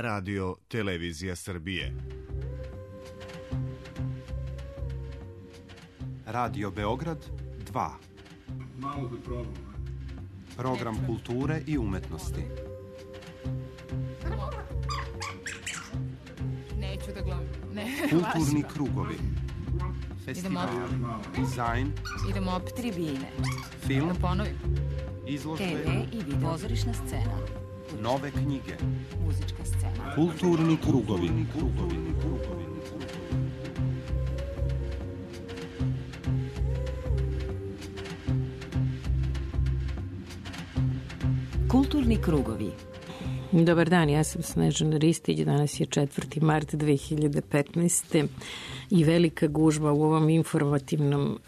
Radio Televizija Srbije. Radio Beograd 2. Malo da probam. Program kulture i umetnosti. Neću da glumim. Kulturni krugovi. Festival, dizajn. Idemo opet tribine. Film. Da ponovim. Izložbe. TV i video. Pozorišna scena. Nove knjige. Muzička scena. Kulturni krugovi. Kulturni krugovi. Dobar dan, ja sam Snežana Ristić, danas je 4. mart 2015. i velika gužba u ovom informativnom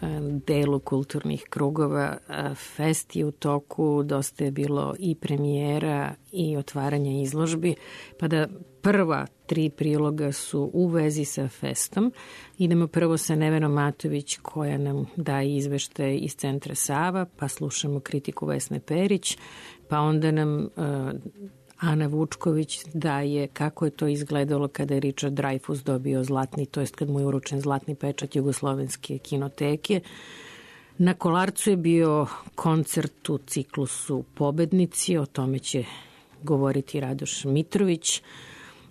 delu kulturnih krugova. Fest je u toku, dosta je bilo i premijera i otvaranja izložbi, pa da prva 3 priloga su u vezi sa festom. Idemo prvo sa Nevenom Matović koja nam daje izveštaj iz Centra Sava, pa slušamo kritiku Vesne Perić, pa onda nam Ana Vučković daje kako je to izgledalo kada je Richard Dreyfuss dobio zlatni, to jest kad mu je uručen zlatni pečat Jugoslovenske kinoteke. Na Kolarcu je bio koncert u ciklusu Pobednici, o tome će govoriti Radoš Mitrović.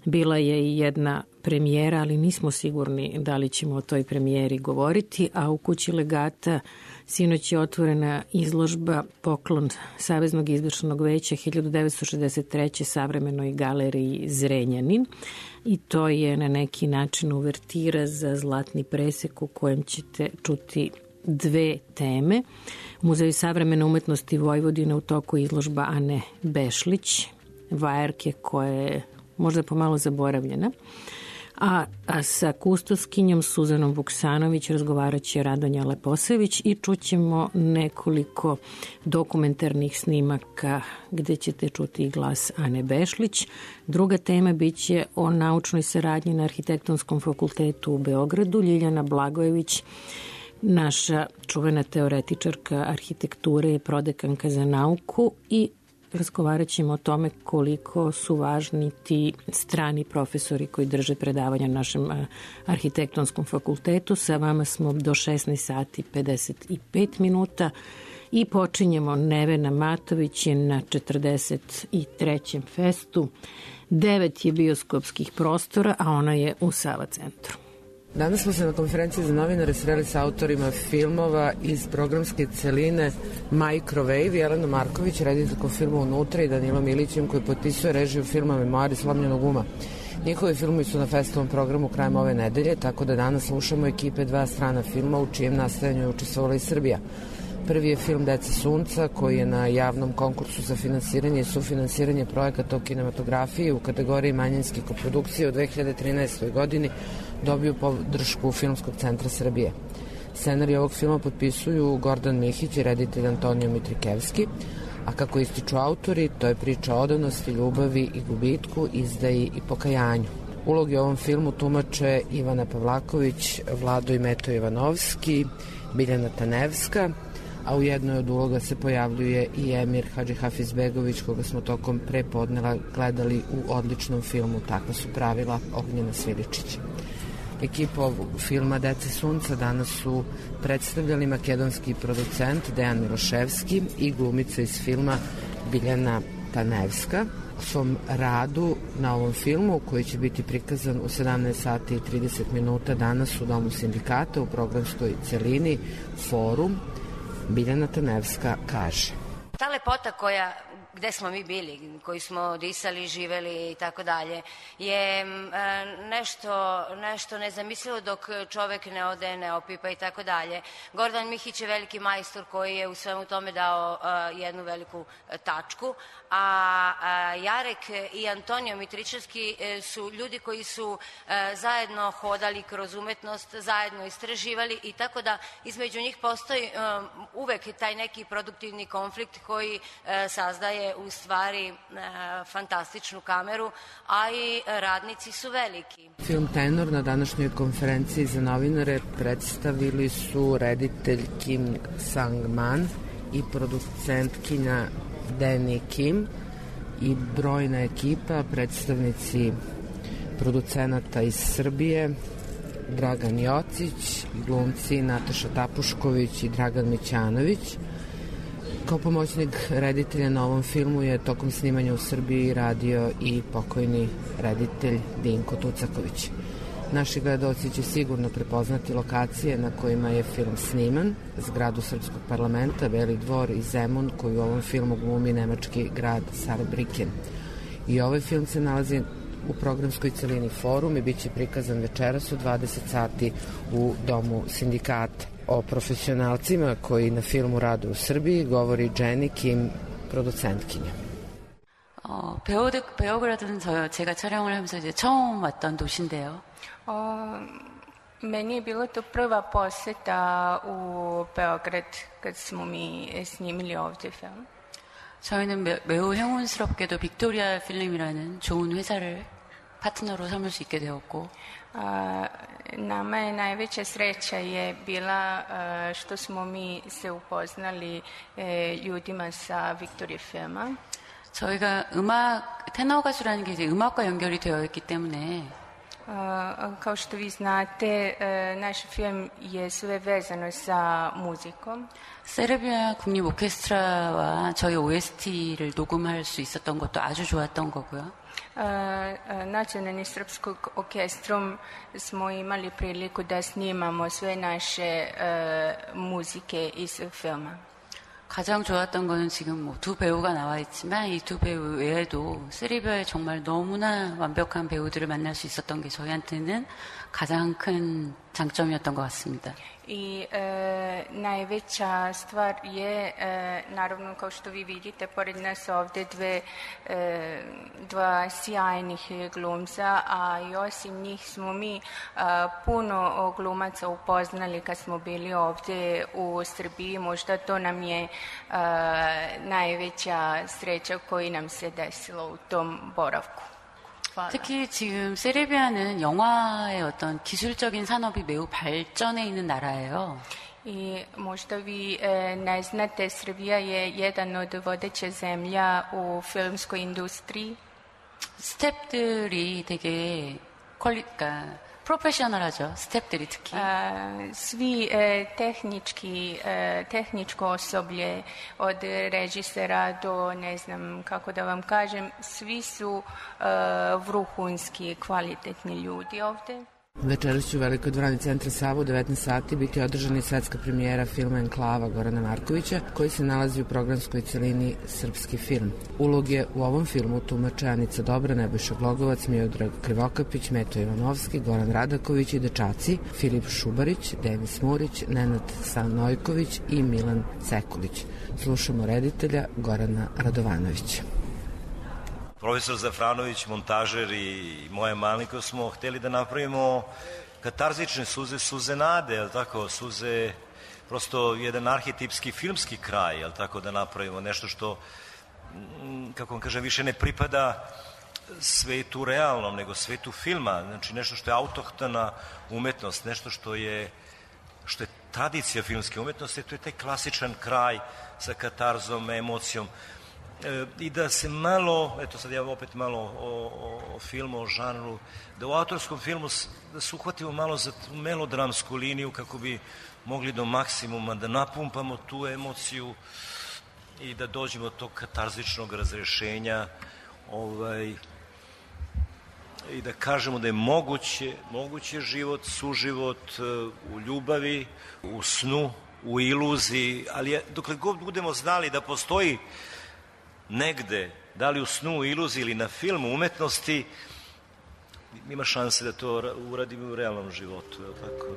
Bila je i jedna premijera, ali nismo sigurni da li ćemo o toj premijeri govoriti, a u Kući legata sinoć je otvorena izložba Poklon Saveznog izvršnog veća 1963. savremenoj galeriji Zrenjanin i to je na neki način uvertira za zlatni presek u kojem ćete čuti 2 teme. U Muzeju savremene umetnosti Vojvodine u toku izložba Ane Bešlić, vajarke koja je možda pomalo zaboravljena. A sa kustoskinjom Suzanom Vuksanović razgovarat će Radonja Leposević i čućemo nekoliko dokumentarnih snimaka gde ćete čuti glas Ane Bešlić. Druga tema biće o naučnoj saradnji na Arhitektonskom fakultetu u Beogradu. Ljiljana Blagojević, naša čuvena teoretičarka arhitekture i prodekanka za nauku, i razgovarat ćemo o tome koliko su važni ti strani profesori koji drže predavanja na našem arhitektonskom fakultetu. Sa vama smo do 16 sati 55 minuta i počinjemo. Nevena Matović je na 43. festu. 9 je bioskopskih prostora, a ona je u Sava centru. Danas smo se na konferenciji za novinare sreli sa autorima filmova iz programske celine Microwave, Jelena Marković, rediteljkom filma Unutra, i Danilom Ilićem koji potpisuje režiju filma Memoari slomljenog uma. Njihovi filmovi su na festivalnom programu krajem ove nedelje, tako da danas slušamo ekipe 2 strana filma u čijem nastajanju je učestvovala i Srbija. Prvi je film Deca sunca koji je na javnom konkursu za finansiranje i sufinansiranje projekata o kinematografiji u kategoriji manjinske koprodukcije u 2013. godini dobio podršku Filmskog centra Srbije. Scenarij ovog filma potpisuju Gordan Mihić i reditelj Antonio Mitrikevski, a kako ističu autori, to je priča o odanosti, ljubavi i gubitku, izdaji i pokajanju. Ulogi u ovom filmu tumače Ivana Pavlaković, Vlado i Meto Ivanovski, Biljana Tanevska, a u jednoj od uloga se pojavljuje i Emir Hadžihafizbegović, koga smo tokom prepodneva gledali u odličnom filmu Takva su pravila Ognjena Sviličić. Ekipu ovog filma Deca sunca danas su predstavljali makedonski producent Dejan Miloševski i glumica iz filma Biljana Tanevska. U svom radu na ovom filmu, koji će biti prikazan u 17 sati i 30 minuta danas u Domu sindikata u programskoj celini Forum, Biljana Tanevska kaže: ta lepota gde smo mi bili, koji smo disali, živeli i tako dalje, je nešto nezamislivo dok čovek ne ode, ne opipa i tako dalje. Gordan Mihić je veliki majstor koji je u svemu tome dao jednu veliku tačku, a Jarek i Antonio Mitričevski su ljudi koji su zajedno hodali kroz umetnost, zajedno istraživali, i tako da između njih postoji uvek taj neki produktivni konflikt koji sazdaje u stvari fantastičnu kameru, a i radnici su veliki. Film Tenor na današnjoj konferenciji za novinare predstavili su reditelj Kim Sang-man i producentkinja Danny Kim i brojna ekipa, predstavnici producenata iz Srbije, Dragan Jocić, glumci Nataša Tapušković i Dragan Mićanović. Kao pomoćnik reditelja na ovom filmu je tokom snimanja u Srbiji radio i pokojni reditelj Dinko Tucaković. Naši gledaoci će sigurno prepoznati lokacije na kojima je film sniman, zgradu Srpskog parlamenta, Beli dvor i Zemun, koji u ovom filmu glumi nemački grad Saarbrücken. I ovaj film se nalazi u programskoj celini Forum i bit će prikazan večeras u 20 sati u Domu sindikata. O profesionalcima koji na filmu rade u Srbiji govori Jenny Kim, producentkinja. 베오그라드는 제가 촬영을 하면서 이제 처음 왔던 도시인데요. Meni je bilo to prva poseta u Beograd kad smo mi snimili ovdje film. 저희는 매우 행운스럽게도 빅토리아 필름이라는 좋은 회사를 파트너로 삼을 수 있게 되었고 nama je najveća sreća je bila što smo mi se upoznali ljudima sa Victoria filma. 저희가 테너 가수라는 게 이제 음악과 연결이 되어 있기 때문에 kao što vi znate, naš film je sve vezano sa muzikom. 세르비아 국립 오케스트라와 저희 OST를 녹음할 수 있었던 것도 아주 좋았던 거고요. Nacionalni srpskog orkestrom smo imali priliku da snimamo sve naše muzike iz filma. 가장 좋았던 거는 지금 두 배우가 나와 있지만 이 두 배우 외에도 세르비아에 정말 너무나 완벽한 배우들을 만날 수 있었던 게 저희한테는 가장 큰 장점이었던 것 같습니다. I najveća stvar je, naravno kao što vi vidite, pored nas ovde dva sjajnih glumca, a i osim njih smo mi puno glumaca upoznali kad smo bili ovde u Srbiji. Možda to nam je najveća sreća koji nam se desilo u tom boravku. 특히 지금 세르비아는 영화의 어떤 기술적인 산업이 매우 발전해 있는 나라예요. I možda vi ne znate, Srbija je jedan od vodeće zemlja u filmskoj industriji. 스태프들이 되게 프로페셔널하죠. 스태프들이 특히. Svi tehničko osoblje, od režisera do, ne znam kako da vam kažem, svi su vrhunski, kvalitetni ljudi ovde. Večeras će u Velikoj dvorani Centra Sava u 19 sati biti održana i svetska premijera filma Enklava Gorana Markovića, koji se nalazi u programskoj celini Srpski film. Uloge u ovom filmu tumače Anica Dobra, Nebojša Glogovac, Miodrag Krivokapić, Meto Ivanovski, Goran Radaković i dečaci Filip Šubarić, Denis Murić, Nenad Stanojković i Milan Cekulić. Slušamo reditelja Gorana Radovanovića. Profesor Zafranović, montažer i moja malenkost smo hteli da napravimo katarzične suze, suze nade, jel tako, suze, prosto jedan arhetipski filmski kraj, jel tako, da napravimo nešto što, kako vam kažem, više ne pripada svetu realnom, nego svetu filma, znači nešto što je autohtona umetnost, nešto što je tradicija filmske umetnosti, to je taj klasičan kraj sa katarzom, emocijom. I da se malo, eto sad ja opet malo o filmu, o žanru, da u autorskom filmu da se uhvatimo malo za melodramsku liniju kako bi mogli do maksimuma da napumpamo tu emociju i da dođemo do tog katarzičnog razrešenja i da kažemo da je moguće život, suživot u ljubavi, u snu, u iluziji, ali dokle god budemo znali da postoji negde, da li u snu, u iluziji ili na filmu, umetnosti, ima šanse da to uradimo u realnom životu. Tako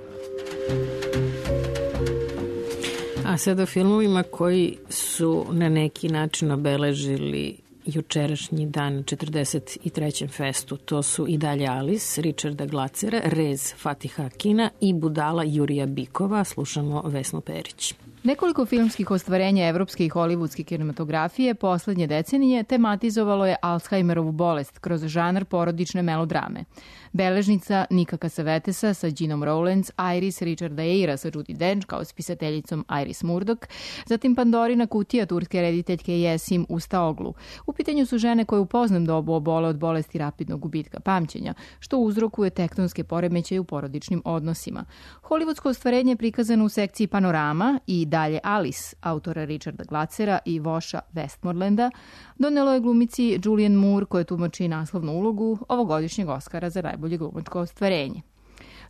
da. A sada o filmovima koji su na neki način obeležili jučerašnji dan 43. festu. To su I dalje Alice, Richarda Glacera, Rez Fatiha Akina i Budala Jurija Bikova. Slušamo Vesnu Perić. Nekoliko filmskih ostvarenja evropske i hollywoodske kinematografije poslednje decenije tematizovalo je Alzheimerovu bolest kroz žanr porodične melodrame. Beležnica Nika Cassavetesa sa Ginom Rowlands, Iris Richarda Eyra sa Judi Dench kao spisateljicom Iris Murdoch, zatim Pandorina kutija turske rediteljke Jesim Ustaoglu. U pitanju su žene koje u poznom dobu obole od bolesti rapidnog gubitka pamćenja, što uzrokuje tektonske poremećaje u porodičnim odnosima. Hollywoodsko ostvarenje je prikazano u sekciji Panorama i Dalje Alice, autora Richarda Glacera i Voša Westmorlanda, donelo je glumici Julianne Moore, koja tumači naslovnu ulogu ovogodišnjeg Oskara za najbolje glumačko ostvarenje.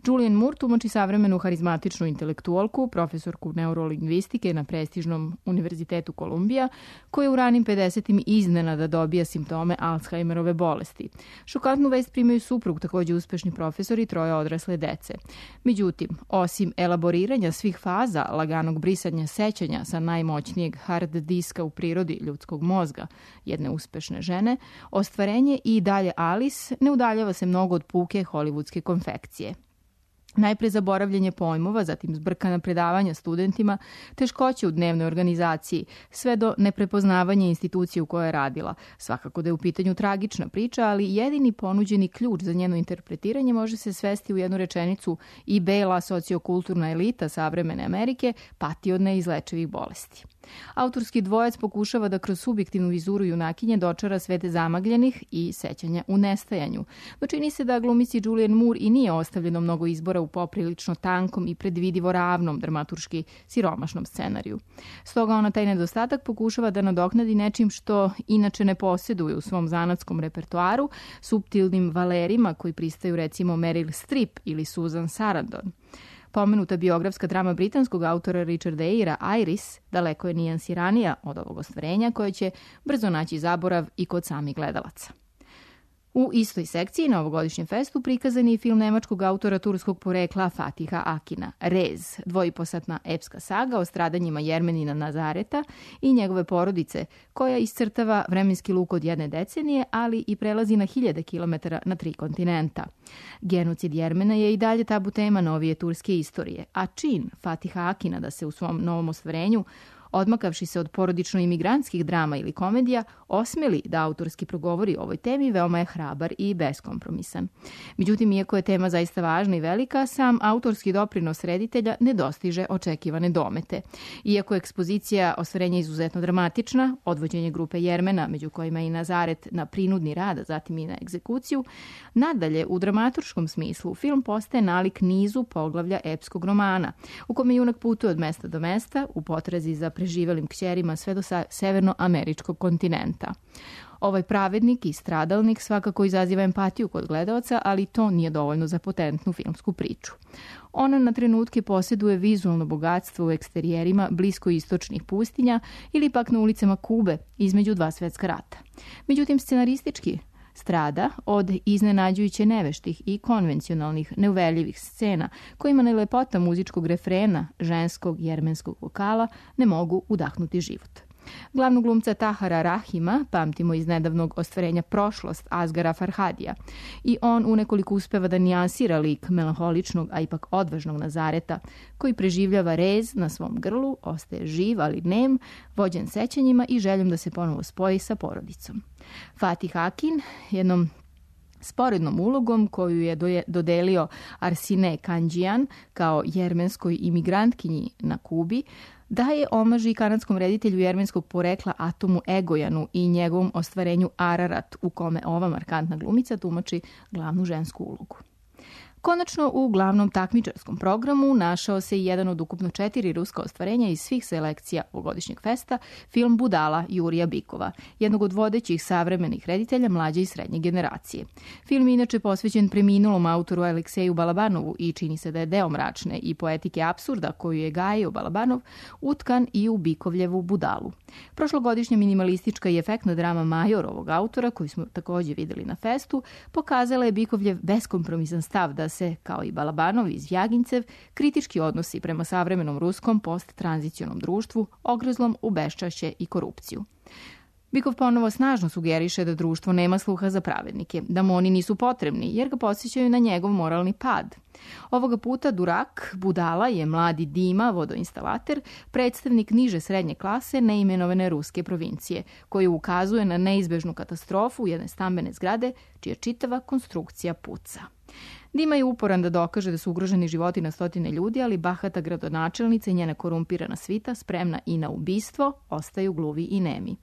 Julianne Moore tumači savremenu harizmatičnu intelektualku, profesorku neurolingvistike na prestižnom univerzitetu Kolumbija, koja u ranim 50-im iznenada dobija simptome Alzheimerove bolesti. Šokantnu vest primaju suprug, takođe uspešni profesor i 3 odrasle dece. Međutim, osim elaboriranja svih faza laganog brisanja sećanja sa najmoćnijeg hard diska u prirodi ljudskog mozga jedne uspešne žene, ostvarenje i Dalje Alice ne udaljava se mnogo od puke hollywoodske konfekcije. Najpre zaboravljanje pojmova, zatim zbrkana predavanja studentima, teškoće u dnevnoj organizaciji, sve do neprepoznavanja institucije u kojoj je radila. Svakako da je u pitanju tragična priča, ali jedini ponuđeni ključ za njeno interpretiranje može se svesti u jednu rečenicu: i bela sociokulturna elita savremene Amerike pati od neizlečivih bolesti. Autorski dvojac pokušava da kroz subjektivnu vizuru junakinje dočara svete zamagljenih i sećanja u nestajanju. No čini se da glumici Julianne Moore i nije ostavljeno mnogo izbora u poprilično tankom i predvidivo ravnom dramaturški siromašnom scenariju. Stoga ona taj nedostatak pokušava da nadoknadi nečim što inače ne posjeduje u svom zanatskom repertoaru, suptilnim valerima koji pristaju recimo Meryl Streep ili Susan Sarandon. Pomenuta biografska drama britanskog autora Richarda Eyra, Iris, daleko je nijansiranija od ovog ostvarenja, koje će brzo naći zaborav i kod samih gledalaca. U istoj sekciji na ovogodišnjem festu prikazan je film nemačkog autora turskog porekla Fatiha Akina, Rez, 2,5-satna epska saga o stradanjima Jermenina Nazareta i njegove porodice, koja iscrtava vremenski luk od jedne decenije, ali i prelazi na 1000 kilometara na 3 kontinenta. Genocid Jermena je i dalje tabu tema novije turske istorije, a čin Fatiha Akina da se u svom novom ostvarenju, odmakavši se od porodično-imigrantskih drama ili komedija, osmeli da autorski progovori o ovoj temi, veoma je hrabar i beskompromisan. Međutim, iako je tema zaista važna i velika, sam autorski doprinos reditelja ne dostiže očekivane domete. Iako je ekspozicija ostvarenja izuzetno dramatična, odvođenje grupe Jermena, među kojima i Nazaret, na prinudni rad, a zatim i na egzekuciju, nadalje, u dramaturškom smislu, film postaje nalik nizu poglavlja epskog romana, u kome junak putuje od mesta do mesta, u potrazi za preživelim kćerima sve do severnoameričkog kontinenta. Ovaj pravednik i stradalnik svakako izaziva empatiju kod gledaoca, ali to nije dovoljno za potentnu filmsku priču. Ona na trenutke posjeduje vizualno bogatstvo u eksterijerima bliskoistočnih pustinja ili pak na ulicama Kube između 2 svetska rata. Međutim, scenaristički strada od iznenađujuće neveštih i konvencionalnih neuverljivih scena kojima na lepota muzičkog refrena ženskog jermenskog vokala ne mogu udahnuti život. Glavnog glumca Tahara Rahima pamtimo iz nedavnog ostvarenja Prošlost Asgara Farhadija i on unekoliko uspeva da nijansira lik melanholičnog, a ipak odvažnog Nazareta, koji preživljava rez na svom grlu, ostaje živ ali nem, vođen sećanjima i željom da se ponovo spoji sa porodicom. Fatih Akin jednom sporednom ulogom koju je dodelio Arsine Kandžijan kao jermenskoj imigrantkinji na Kubi, daje omaž i kanadskom reditelju jermenskog porekla Atomu Egojanu i njegovom ostvarenju Ararat, u kome ova markantna glumica tumači glavnu žensku ulogu. Konačno, u glavnom takmičarskom programu našao se i jedan od ukupno 4 ruska ostvarenja iz svih selekcija ovogodišnjeg festa, film Budala Jurija Bikova, jednog od vodećih savremenih reditelja mlađe i srednje generacije. Film je inače posvećen preminulom autoru Alekseju Balabanovu i čini se da je deo mračne i poetike apsurda koju je gajio Balabanov utkan i u Bikovljevu Budalu. Prošlogodišnja minimalistička i efektna drama Major ovog autora, koju smo takođe videli na festu, pokazala je Bikovljev beskompromisan stav da se, kao i Balabanov iz Vjagincev, kritički odnosi prema savremenom ruskom post-tranzicionom društvu, ogrezlom u beščašće i korupciju. Bikov ponovo snažno sugeriše da društvo nema sluha za pravednike, da mu oni nisu potrebni, jer ga podsjećaju na njegov moralni pad. Ovoga puta Durak, budala, je mladi Dima, vodoinstalater, predstavnik niže srednje klase neimenovane ruske provincije, koji ukazuje na neizbežnu katastrofu jedne stambene zgrade, čija čitava konstrukcija puca. Dima je uporan da dokaže da su ugroženi životi na stotine ljudi, ali bahata gradonačelnica i njena korumpirana svita, spremna i na ubistvo, ostaju gluvi i nemi.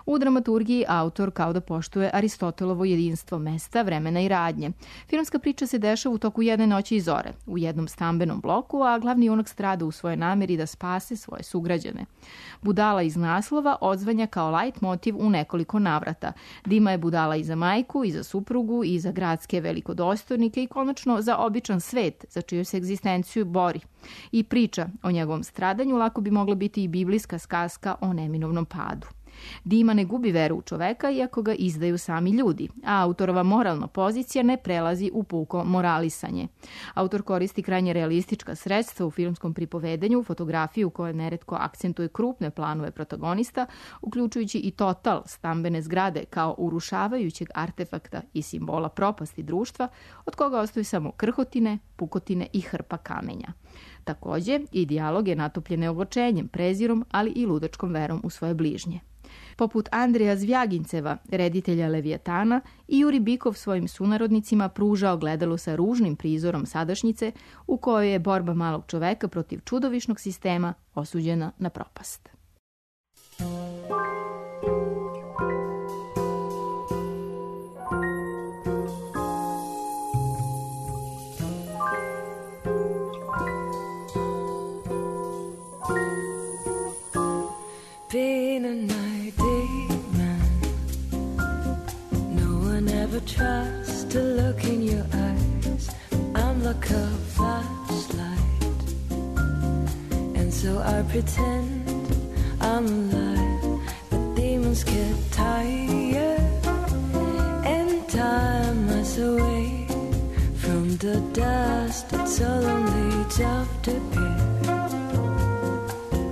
U dramaturgiji autor kao da poštuje Aristotelovo jedinstvo mesta, vremena i radnje. Filmska priča se dešava u toku jedne noći i zore, u jednom stambenom bloku, a glavni junak strada u svojoj nameri da spase svoje sugrađane. Budala iz naslova odzvanja kao light motiv u nekoliko navrata. Dima je budala i za majku, i za suprugu, i za gradske velikodostojnike i konačno za običan svet za čiju se egzistenciju bori. I priča o njegovom stradanju lako bi mogla biti i biblijska сказка o neminovnom padu. Dima ne gubi veru u čoveka iako ga izdaju sami ljudi, a autorova moralna pozicija ne prelazi u puko moralisanje. Autor koristi krajnje realistička sredstva u filmskom pripovedanju, fotografiju koja neretko akcentuje krupne planove protagonista, uključujući i total stambene zgrade kao urušavajućeg artefakta i simbola propasti društva, od koga ostaju samo krhotine, pukotine i hrpa kamenja. Takođe, i dijalog je natopljen ogorčenjem, prezirom, ali i ludačkom verom u svoje bližnje. Poput Andreja Zvjaginceva, reditelja Leviatana, i Juri Bikov svojim sunarodnicima pruža ogledalo sa ružnim prizorom sadašnjice u kojoj je borba malog čoveka protiv čudovišnog sistema osuđena na propast. Tries to look in your eyes. I'm like a flashlight, and so I pretend I'm alive. But demons get tired, and time us away from the dust that solemnly aftercare.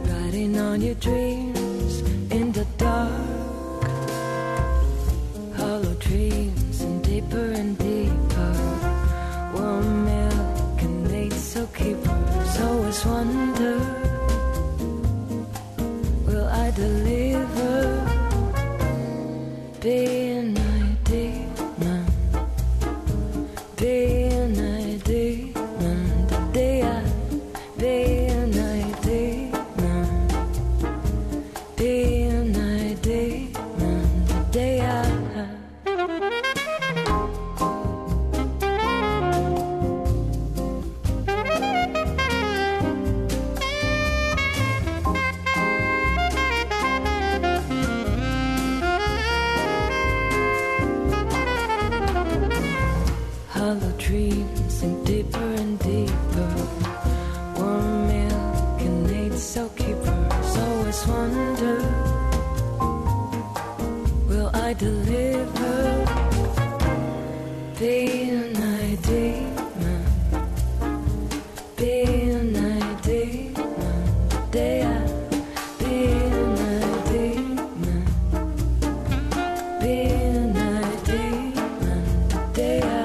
Riding on your dreams in the dark, hollow dreams. Deeper and deeper, warm milk and mates so keepers always wonder, will I deliver? Be an idea, be an idea, the day I be an idea, be an idea, the day I. Hollow dreams sink deeper and deeper. Warm milk and mates so keepers always wonder, will I deliver? Be an idea, be an idea, the day I be an idea, be an idea, the day I.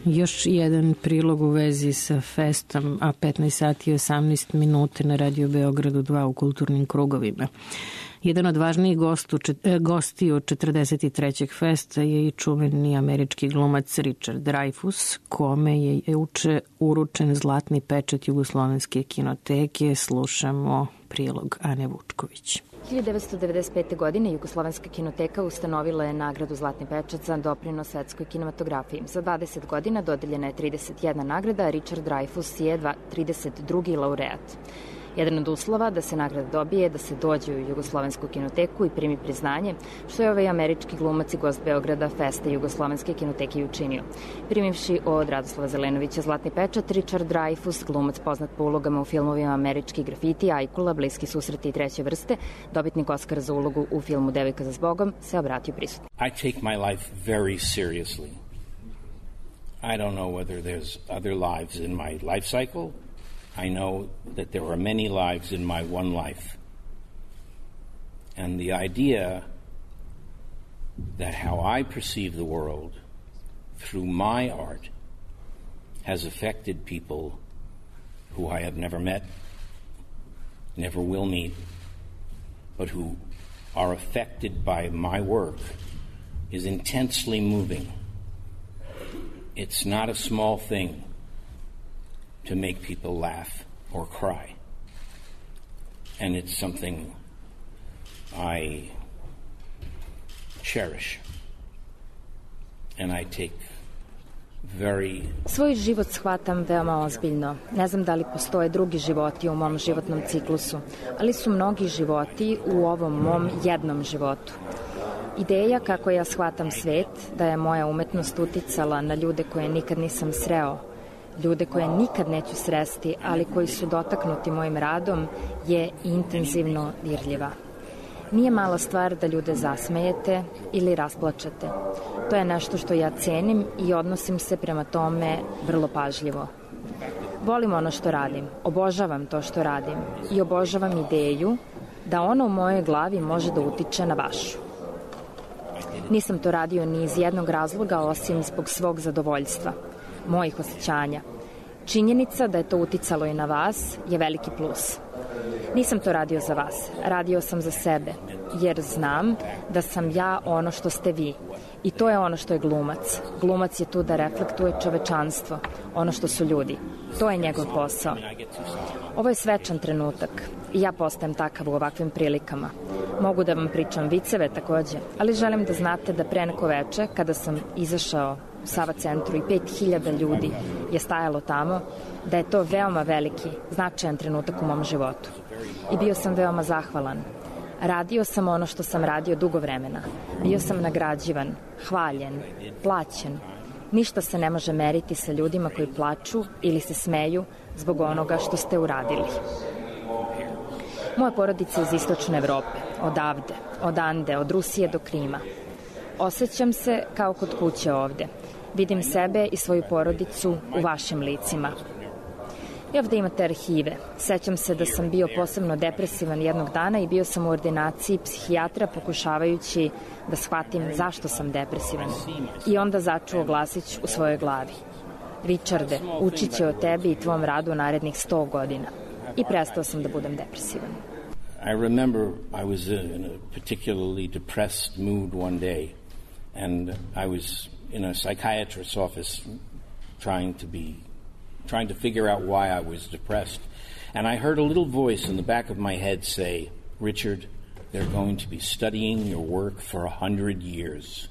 Još jedan prilog u vezi sa festom, a 15 sati i 18 minuta na Radio Beogradu 2 u kulturnim krugovima. Jedan od važnijih gostiju 43. festa je i čuveni američki glumac Richard Dreyfuss, kome je juče uručen zlatni pečat Jugoslovenske kinoteke. Slušamo prilog Ane Vučković. 1995. godine Jugoslovenska kinoteka ustanovila je nagradu Zlatni pečat za doprinos svetskoj kinematografiji. Za 20 godina dodeljena je 31 nagrada, a Richard Dreyfuss je 32. laureat. Jedan od uslova da se nagrada dobije je da se dođe u Jugoslovensku kinoteku i primi priznanje, što je ovaj američki glumac i gost Beograda Festa Jugoslovenske kinoteke i učinio. Primivši od Radoslava Zelenovića Zlatni pečat, Richard Dreyfuss, glumac poznat po ulogama u filmovima Američki grafiti, Ajkula, Bliski susreti i Treće vrste, dobitnik Oskara za ulogu u filmu Devojka za zbogom, se obratio prisutno. I take my life very seriously. I don't know whether there's other lives in my life cycle. I know that there are many lives in my one life. And the idea that how I perceive the world through my art has affected people who I have never met, never will meet, but who are affected by my work is intensely moving. It's not a small thing to make people laugh or cry. And it's something I cherish. And I take very... Svoj život shvatam veoma ozbiljno. Ne znam da li postoje drugi životi u mom životnom ciklusu, ali su mnogi životi u ovom mom jednom životu. Ideja kako ja shvatam svet, da je moja umetnost uticala na ljude koje nikad nisam sreo, ljude koje nikad neću sresti, ali koji su dotaknuti mojim radom, je intenzivno dirljiva. Nije mala stvar da ljude zasmejete ili rasplačete. To je nešto što ja cenim i odnosim se prema tome vrlo pažljivo. Volim ono što radim, obožavam to što radim i obožavam ideju da ono u mojoj glavi može da utiče na vašu. Nisam to radio ni iz jednog razloga osim zbog svog zadovoljstva, mojih osjećanja. Činjenica da je to uticalo i na vas je veliki plus. Nisam to radio za vas, radio sam za sebe, jer znam da sam ja ono što ste vi. I to je ono što je glumac. Glumac je tu da reflektuje čovečanstvo, ono što su ljudi. To je njegov posao. Ovo je svečan trenutak i ja postajem takav u ovakvim prilikama. Mogu da vam pričam viceve takođe, ali želim da znate da pre neko veče, kada sam izašao u Sava centru i 5000 ljudi je stajalo tamo, da je to veoma veliki, značajan trenutak u mom životu. I bio sam veoma zahvalan. Radio sam ono što sam radio dugo vremena. Bio sam nagrađivan, hvaljen, plaćen. Ništa se ne može meriti sa ljudima koji plaču ili se smeju zbog onoga što ste uradili. Moja porodica je iz istočne Evrope, odavde, od Ande, od Rusije do Krima. Osjećam se kao kod kuće ovde. Vidim sebe i svoju porodicu u vašim licima. I ovde imate arhive. Sećam se da sam bio posebno depresivan jednog dana i bio sam u ordinaciji psihijatra pokušavajući da shvatim zašto sam depresivan. I onda začuo glasić u svojoj glavi. Richarde, učit će o tebi i tvom radu u narednih 100 godina. I prestao sam da budem depresivan. I remember I was in a particularly depressed mood one day, and I was in a psychiatrist's office trying to figure out why I was depressed. And I heard a little voice in the back of my head say, Richard, they're going to be studying your work for 100 years.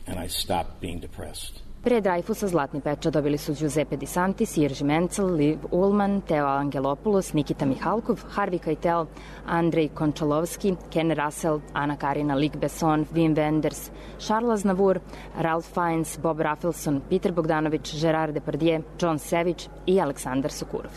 And I stopped being depressed. Pre Dreyfusa Zlatni pečat dobili su Giuseppe Di Santis, Jerzy Menzel, Liv Ullmann, Teo Angelopoulos, Nikita Mihalkov, Harvey Keitel, Andrej Končalovski, Ken Russell, Ana Karina, Luc Besson, Wim Wenders, Charles Aznavour, Ralph Fiennes, Bob Rafelson, Peter Bogdanović, Gerard Depardieu, John Savage i Aleksandar Sokurov.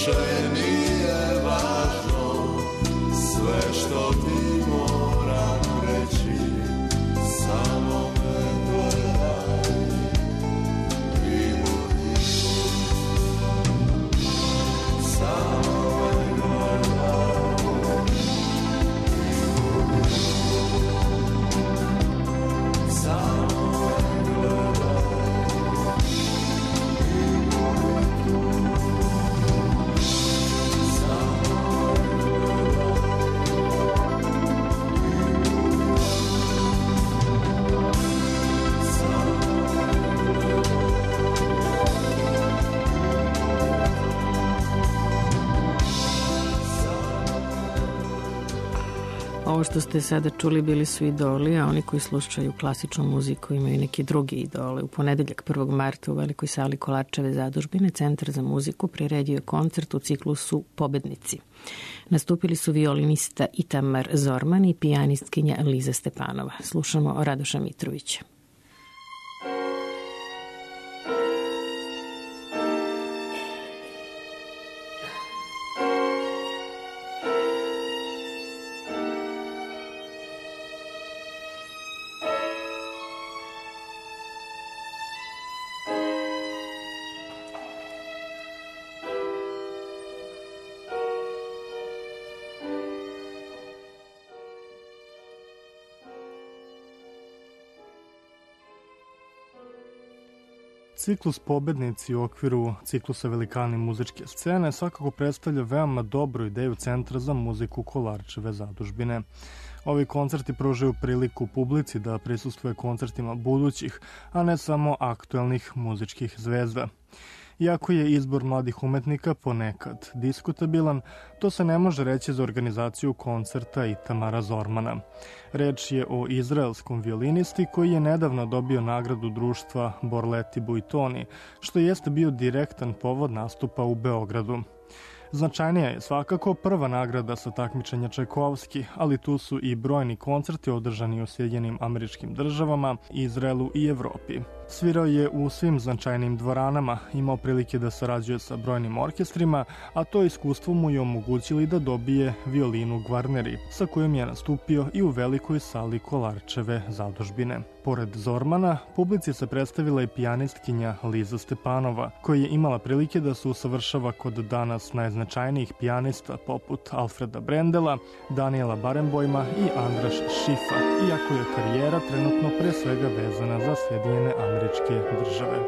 više nije važno, sve što ti moram reći, samo me gledaj i budi, samo me gledaj i budi, samo me gledaj i budi tu. Ovo što ste sada čuli bili su idoli, a oni koji slušaju klasičnu muziku imaju neki drugi idole. U ponedeljak 1. marta u Velikoj sali Kolarčeve zadužbine Centar za muziku priredio je koncert u ciklusu Pobednici. Nastupili su violinista Itamar Zorman i pijanistkinja Liza Stepanova. Slušamo Radoša Mitrovića. Ciklus Pobednici u okviru ciklusa Velikani muzičke scene svakako predstavlja veoma dobru ideju Centra za muziku Kolarčeve zadužbine. Ovi koncerti pružaju priliku publici da prisustvuje koncertima budućih, a ne samo aktuelnih muzičkih zvezda. Iako je izbor mladih umetnika ponekad diskutabilan, to se ne može reći za organizaciju koncerta Itamara Zormana. Reč je o izraelskom violinisti koji je nedavno dobio nagradu društva Borleti Buitoni, što jeste bio direktan povod nastupa u Beogradu. Značajnija je svakako prva nagrada sa takmičenja Čajkovski, ali tu su i brojni koncerti održani u Sjedinjenim Američkim Državama, Izraelu i Evropi. Svirao je u svim značajnim dvoranama, imao prilike da sarađuje sa brojnim orkestrima, a to iskustvo mu je omogućili da dobije violinu Gvarneri, sa kojom je nastupio i u Velikoj sali Kolarčeve zadužbine. Pored Zormana, publici se predstavila i pijanistkinja Liza Stepanova, koja je imala prilike da se usavršava kod danas najznačajnijih pijanista poput Alfreda Brendela, Daniela Barenboima i Andraš Šifa, iako je karijera trenutno pre svega vezana za Sjedinjene Američke Države.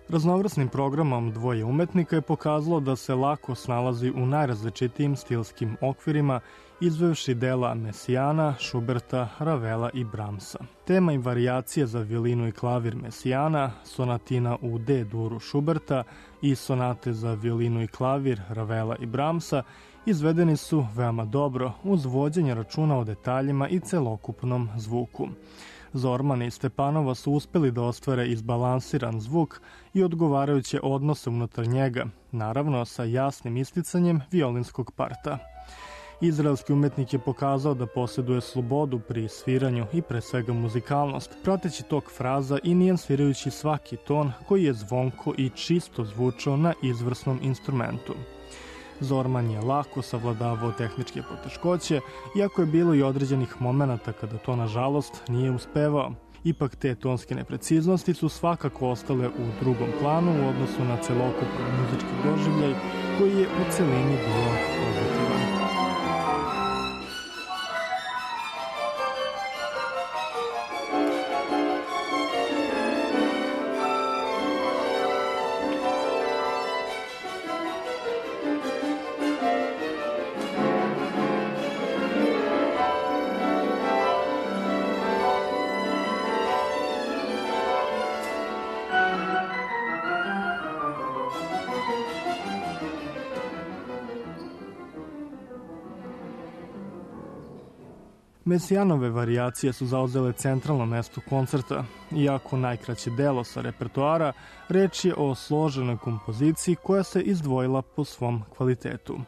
Raznovrsnim programom dvoje umetnika je pokazalo da se lako snalazi u najrazličitijim stilskim okvirima, izvevši dela Mesijana, Šuberta, Ravela i Bramsa. Tema i varijacije za violinu i klavir Mesijana, sonatina u D duru Šuberta i sonate za violinu i klavir Ravela i Bramsa izvedeni su veoma dobro uz vođenje računa o detaljima i celokupnom zvuku. Zorman i Stepanova su uspeli da ostvare izbalansiran zvuk i odgovarajuće odnose unutar njega, naravno sa jasnim isticanjem violinskog parta. Izraelski umetnik je pokazao da posjeduje slobodu pri sviranju i pre svega muzikalnost, prateći tok fraza i nijansirajući svaki ton koji je zvonko i čisto zvučao na izvrsnom instrumentu. Zorman je lako savladavao tehničke poteškoće, iako je bilo i određenih momenata kada to nažalost nije uspevao. Ipak te tonske nepreciznosti su svakako ostale u drugom planu u odnosu na celokupan muzički doživljaj koji je u celini bio pozitivan. Mesijanove varijacije su zauzele centralno mesto koncerta. Iako najkraće delo sa repertoara, reč je o složenoj kompoziciji koja se izdvojila po svom kvalitetu.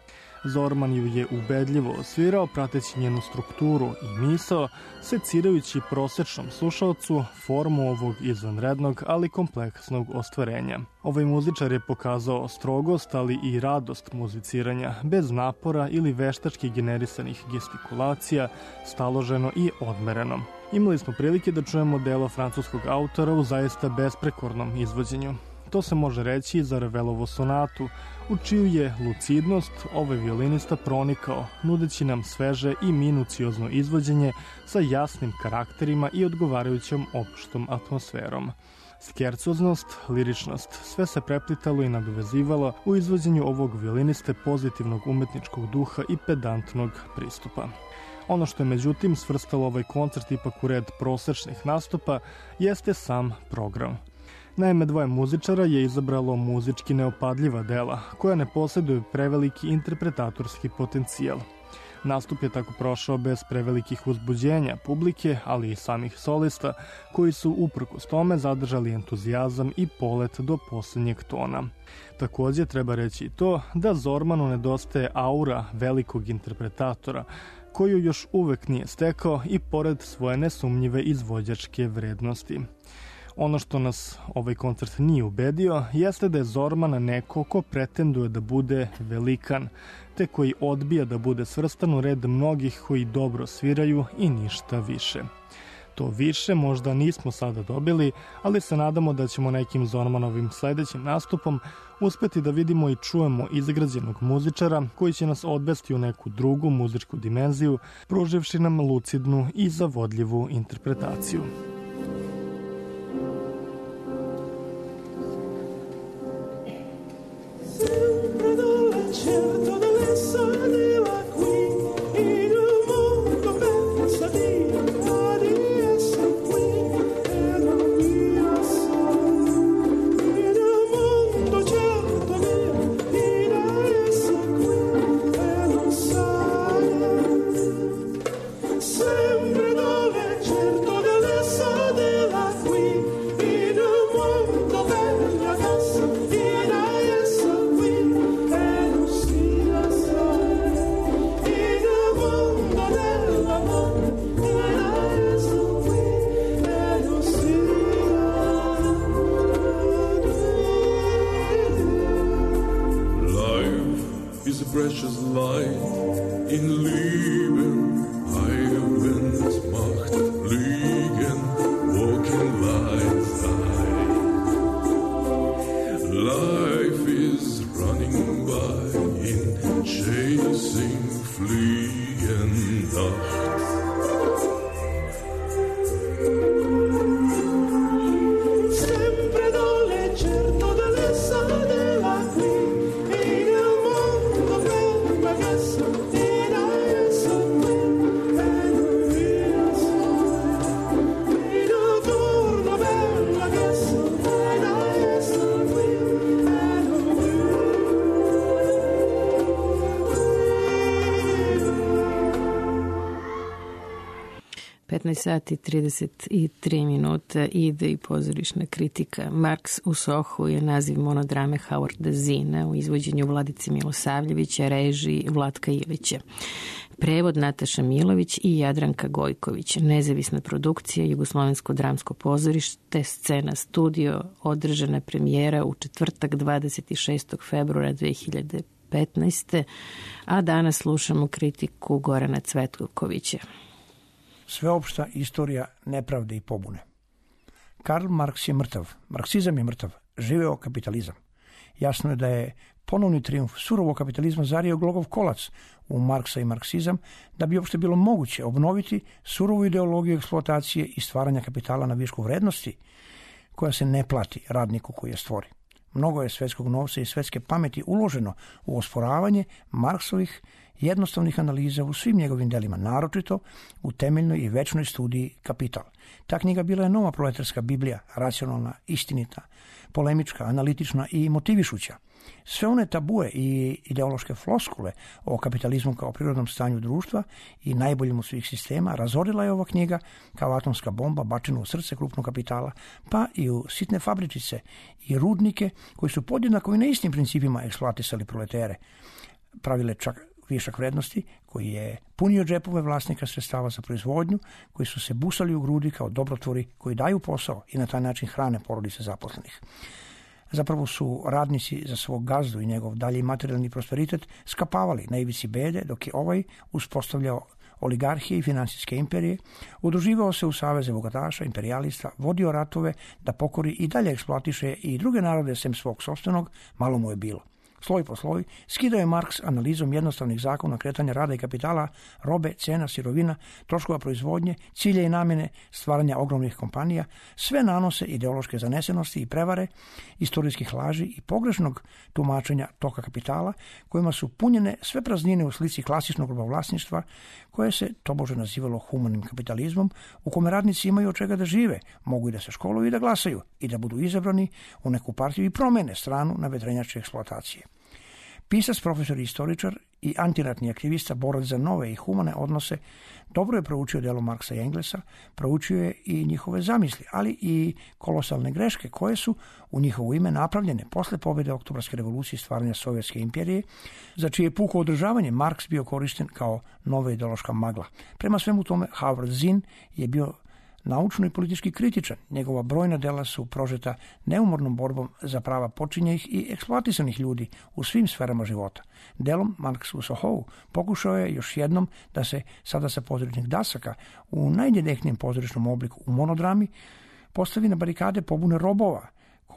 Zorman ju je ubedljivo osvirao, prateći njenu strukturu i misao, secirajući prosečnom slušalcu formu ovog izvanrednog, ali kompleksnog ostvarenja. Ovaj muzičar je pokazao strogost, ali i radost muziciranja, bez napora ili veštački generisanih gestikulacija, staloženo i odmereno. Imali smo prilike da čujemo delo francuskog autora u zaista besprekornom izvođenju. To se može reći i za Ravelovu sonatu, u čiju je lucidnost ovaj violinista pronikao, nudeći nam sveže i minuciozno izvođenje sa jasnim karakterima i odgovarajućom opštom atmosferom. Skercoznost, liričnost, sve se preplitalo i nadovezivalo u izvođenju ovog violiniste pozitivnog umetničkog duha i pedantnog pristupa. Ono što je međutim svrstalo ovaj koncert ipak u red prosečnih nastupa jeste sam program. Naime, dvoje muzičara je izabralo muzički neopadljiva dela, koja ne posjeduju preveliki interpretatorski potencijal. Nastup je tako prošao bez prevelikih uzbuđenja publike, ali i samih solista, koji su uprkos tome zadržali entuzijazam i polet do posljednjeg tona. Također treba reći i to da Zormanu nedostaje aura velikog interpretatora, koju još uvek nije stekao i pored svoje nesumnjive izvođačke vrednosti. Ono što nas ovaj koncert nije ubedio jeste da je Zorman neko ko pretenduje da bude velikan, te koji odbija da bude svrstan u red mnogih koji dobro sviraju i ništa više. To više možda nismo sada dobili, ali se nadamo da ćemo nekim Zormanovim sledećim nastupom uspeti da vidimo i čujemo izgrađenog muzičara koji će nas odvesti u neku drugu muzičku dimenziju, pruživši nam lucidnu i zavodljivu interpretaciju. Sempre dalla certo dell'essa della qui in un mondo pensativo di essere qui e non via solo in un mondo certo di essere qui e non sai sempre dove certo dell'essa della qui in un mondo bella casa di is a precious light in Leben, Heilens Macht, Fliegen, walking lights high. Life is running by in chasing fliegen Nacht. Sempre dole certo dell'essa della qui in un mondo bella casa in essa qui e non via solo in un turno bella casa in essa qui e non via 15 sati 33 minuta ide i pozorišna kritika. Marks u Sohu je naziv monodrame Howarda Zina u izvođenju Vladice Milosavljevića, režiji Vlatka Ilića. Prevod Nataša Milović i Jadranka Gojković. Nezavisna produkcija Jugoslovensko dramsko pozorište, scena studio, održana premijera u četvrtak 26. februara 2015. A danas slušamo kritiku Gorana Cvetkovića. Sveopšta istorija nepravde i pobune. Karl Marks je mrtav, marksizam je mrtav, živeo kapitalizam. Jasno je da je ponovni trijumf surovog kapitalizma zario glogov kolac u Marksa i marksizam, da bi uopšte bilo moguće obnoviti surovu ideologiju eksploatacije i stvaranja kapitala na višku vrednosti, koja se ne plati radniku koji je stvori. Mnogo je svetskog novca i svetske pameti uloženo u osporavanje Marksovih jednostavnih analiza u svim njegovim delima, naročito u temeljnoj i večnoj studiji Kapital. Ta knjiga bila je nova proletarska biblija, racionalna, istinita, polemička, analitična i motivišuća. Sve one tabue i ideološke floskule o kapitalizmu kao prirodnom stanju društva i najboljem od svih sistema razorila je ova knjiga kao atomska bomba bačena u srce krupnog kapitala, pa i u sitne fabričice i rudnike koji su podjednako i na istim principima eksploatisali proletere, pravile čak višak vrednosti koji je punio džepove vlasnika sredstava za proizvodnju, koji su se busali u grudi kao dobrotvori koji daju posao i na taj način hrane porodice zaposlenih. Zapravo su radnici za svog gazdu i njegov dalji materijalni prosperitet skapavali na ivici bede, dok je ovaj uspostavljao oligarhije i finansijske imperije, udruživao se u saveze bogataša, imperijalista, vodio ratove da pokori i dalje eksploatiše i druge narode sem svog sopstvenog, malo mu je bilo. Sloj po sloj, skidao je Marks analizom jednostavnih zakona kretanja rada i kapitala, robe, cena, sirovina, troškova proizvodnje, cilje i namjene, stvaranja ogromnih kompanija, sve nanose ideološke zanesenosti i prevare, istorijskih laži i pogrešnog tumačenja toka kapitala, kojima su punjene sve praznine u slici klasičnog robovlasništva, koje se tobože nazivalo humanim kapitalizmom, u kome radnici imaju od čega da žive, mogu i da se školuju i da glasaju i da budu izabrani u neku partiju i promene stranu na vedrenjačke eksploatacije. Pisac, profesor i istoričar i antiratni aktivista, borac za nove i humane odnose, dobro je proučio delo Marksa i Englesa, proučio je i njihove zamisli, ali i kolosalne greške koje su u njihovo ime napravljene posle pobjede Oktobarske revolucije i stvaranja Sovjetske imperije, za čije puko održavanje Marks bio korišten kao nova ideološka magla. Prema svemu tome, Howard Zinn je bio naučno i politički kritičan. Njegova brojna dela su prožeta neumornom borbom za prava počinjenih i eksploatisanih ljudi u svim sferama života. Delom Marks u Sohou pokušao je još jednom da se sada sa pozorišnih dasaka u najdirektnijem pozorišnom obliku u monodrami postavi na barikade pobune robova,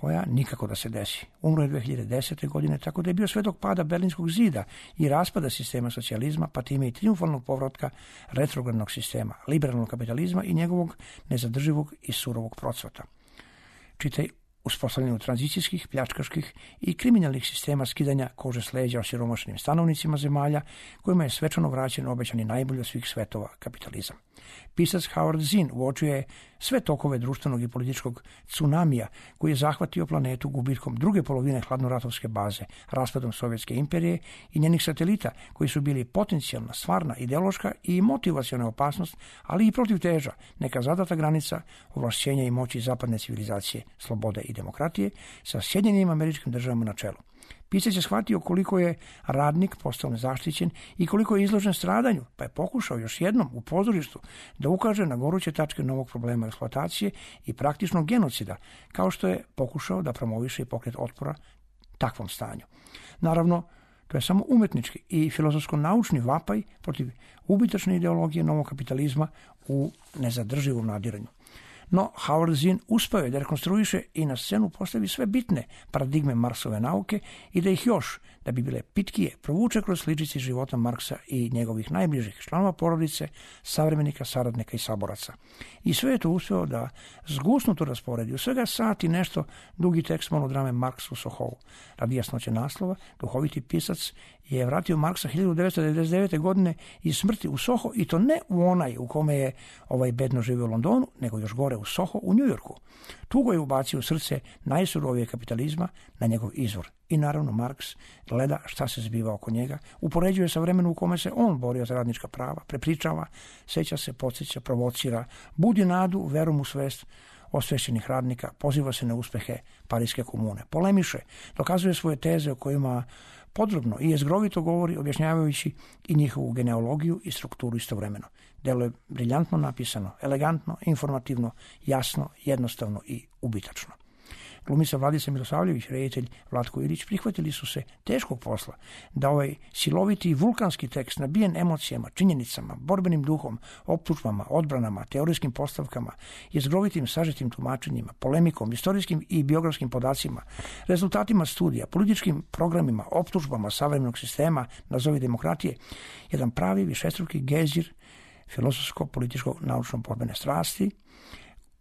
koja nikako da se desi. Umro je 2010. godine, tako da je bio svedok pada Berlinskog zida i raspada sistema socijalizma, pa time i triumfalnog povratka retrogradnog sistema, liberalnog kapitalizma i njegovog nezadrživog i surovog procvata. Čitaj uspostavljanju tranzicijskih, pljačkaških i kriminalnih sistema skidanja kože s leđa osiromašenim stanovnicima zemalja, kojima je svečano vraćen obećani najbolji od svih svetova kapitalizam. Pisac Howard Zinn uočio je sve tokove društvenog i političkog tsunamija koji je zahvatio planetu gubitkom druge polovine hladnoratovske baze, raspadom Sovjetske imperije i njenih satelita koji su bili potencijalna, stvarna, ideološka i motivaciona opasnost, ali i protivteža, neka zadata granica ovlašćenja i moći zapadne civilizacije, slobode i demokratije sa Sjedinjenim Američkim Državama na čelu. Pisac je shvatio koliko je radnik postao nezaštićen i koliko je izložen stradanju, pa je pokušao još jednom u pozorištu da ukaže na goruće tačke novog problema eksploatacije i praktičnog genocida, kao što je pokušao da promoviše i pokret otpora takvom stanju. Naravno, to je samo umetnički i filozofsko-naučni vapaj protiv ubitačne ideologije novog kapitalizma u nezadrživom nadiranju. No, Howard Zinn uspeo je da rekonstruiše i na scenu postavi sve bitne paradigme Marksove nauke i da ih još, da bi bile pitkije, provuče kroz sličice života Marksa i njegovih najbližih članova porodice, savremenika, saradnika i saboraca. I sve je to uspeo da zgusnuto rasporedi u svega sat i nešto dugi tekst monodrame Marks u Sohou. Radi jasnoće naslova, duhoviti pisac je vratio Marksa 1999. godine iz smrti u Soho, i to ne u onaj u kome je ovaj bedno živio u Londonu, nego još gore u Soho u Njujorku. Tugo je ubacio u srce najsurovije kapitalizma na njegov izvor. I naravno Marks gleda šta se zbiva oko njega, upoređuje sa vremenom u kome se on borio za radnička prava, prepričava, seća se, podsjeća, provocira, budi nadu, verom u svest osvešćenih radnika, poziva se na uspehe Pariske komune, polemiše, dokazuje svoje teze o kojima podrobno i jezgrovito govori, objašnjavajući i njihovu genealogiju i strukturu istovremeno. Delo je briljantno napisano, elegantno, informativno, jasno, jednostavno i ubitačno. Glumica Vladica Milosavljević, reditelj Vlatko Ilić prihvatili su se teškog posla da ovaj siloviti i vulkanski tekst nabijen emocijama, činjenicama, borbenim duhom, optužbama, odbranama, teorijskim postavkama, jezgrovitim sažetim tumačenjima, polemikom, istorijskim i biografskim podacima, rezultatima studija, političkim programima, optužbama savremenog sistema, nazovi demokratije, jedan pravi višestruki gejzir filozofsko-političko naučno-borbene strasti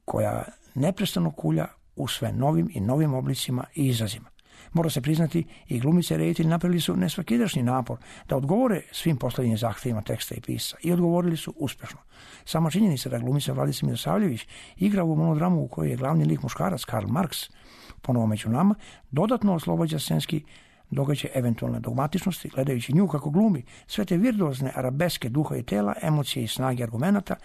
koja neprestano kulja u sve novim i novim oblicima i izrazima. Mora se priznati, i glumice i reditelji napravili su nesvakidašnji napor da odgovore svim postavljenim zahtevima teksta i pisa, i odgovorili su uspešno. Sama činjenica da glumica Vladica Milosavljević igra u monodramu u kojoj je glavni lik muškarac Karl Marks, ponovo među nama, dodatno oslobađa scenski događaj eventualne dogmatičnosti, gledajući nju kako glumi sve te virtuozne arabeske duha i tela, emocije i snage argumenata,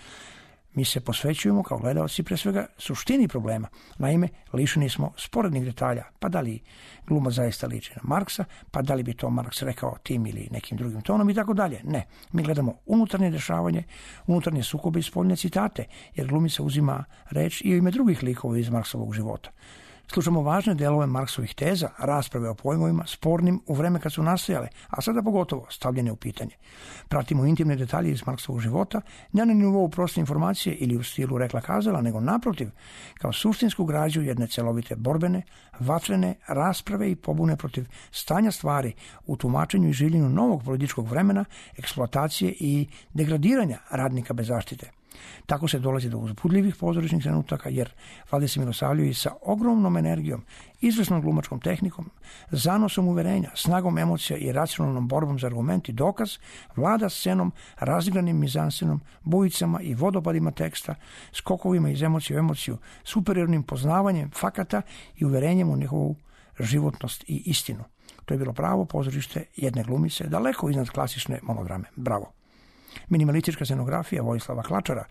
mi se posvećujemo kao gledalci pre svega suštini problema. Naime, lišeni smo sporednih detalja, pa da li gluma zaista liči na Marksa, pa da li bi to Marks rekao tim ili nekim drugim tonom i tako dalje. Ne, mi gledamo unutarnje dešavanje, unutarnje sukobe i spoljne citate, jer glumica uzima reč i u ime drugih likova iz Marksovog života. Slušamo važne delove Marksovih teza, rasprave o pojmovima, spornim u vreme kad su nastajale, a sada pogotovo stavljene u pitanje. Pratimo intimne detalje iz Marksovog života, ne na nivou proste informacije ili u stilu rekla kazala, nego naprotiv, kao suštinsku građu jedne celovite borbene, vatrene rasprave i pobune protiv stanja stvari u tumačenju i življenju novog političkog vremena, eksploatacije i degradiranja radnika bez zaštite. Tako se dolazi do uzbudljivih pozorišnih trenutaka, jer Vladimir Milosavljević sa ogromnom energijom, izvrsnom glumačkom tehnikom, zanosom uverenja, snagom emocija i racionalnom borbom za argument i dokaz, vlada scenom, razigranim mizansenom, bujicama i vodopadima teksta, skokovima iz emocije u emociju, superiornim poznavanjem fakata i uverenjem u njihovu životnost i istinu. To je bilo pravo pozorište jedne glumice, daleko iznad klasične monodrame. Bravo! Minimalistička scenografija Vojislava Klačara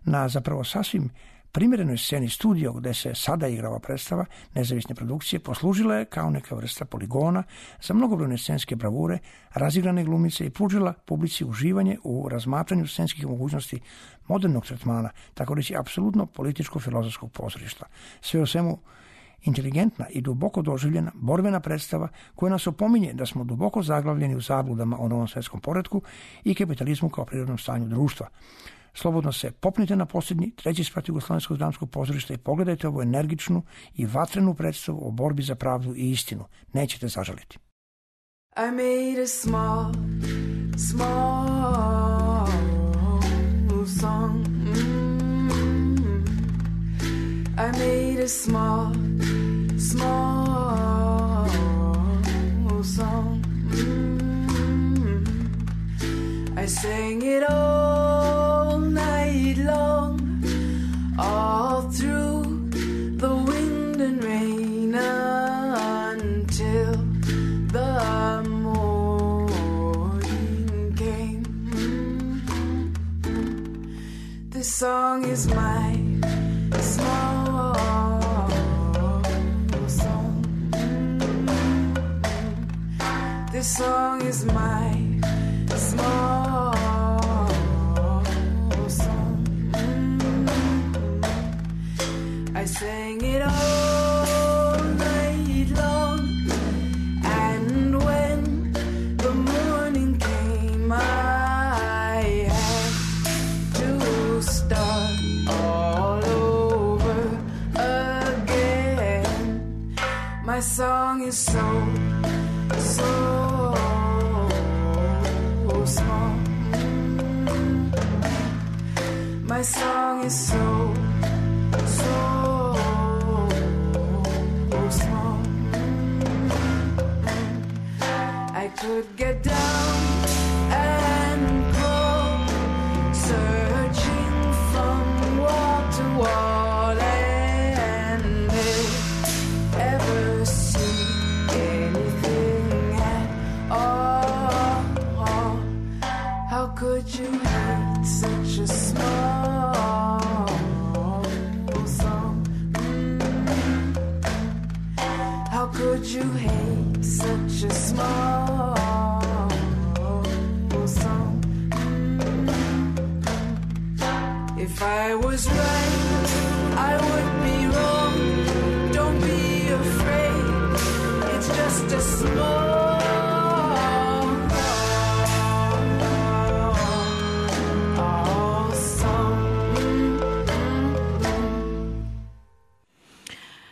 na zapravo sasvim primjerenoj sceni studio gde se sada igra ova predstava nezavisne produkcije poslužila je kao neka vrsta poligona za mnogobrojne scenske bravure, razigrane glumice i pružila publici uživanje u razmatranju scenskih mogućnosti modernog tretmana, tako reći apsolutno političko-filozofskog pozorišta. Sve o svemu inteligentna i duboko doživljena borbena predstava koja nas opominje da smo duboko zaglavljeni u zabludama o novom svetskom poretku i kapitalizmu kao prirodnom stanju društva. Slobodno se popnite na posljednji, treći sprat Jugoslovenskog dramskog pozorišta i pogledajte ovu energičnu i vatrenu predstavu o borbi za pravdu i istinu. Nećete zažaliti. I made a small song. I made a small song. I sang it all night long, all through the wind and rain until the morning came. This song is my small song. This song is my small song. I sang it all night long, and when the morning came, I had to start all over again. My song is so small. My song is so small. I could get down and crawl, searching from wall to wall, and ever see anything at all. How could you hate such a small song? How could you hate such a small song? If I was right, I would be wrong. Don't be afraid, it's just a small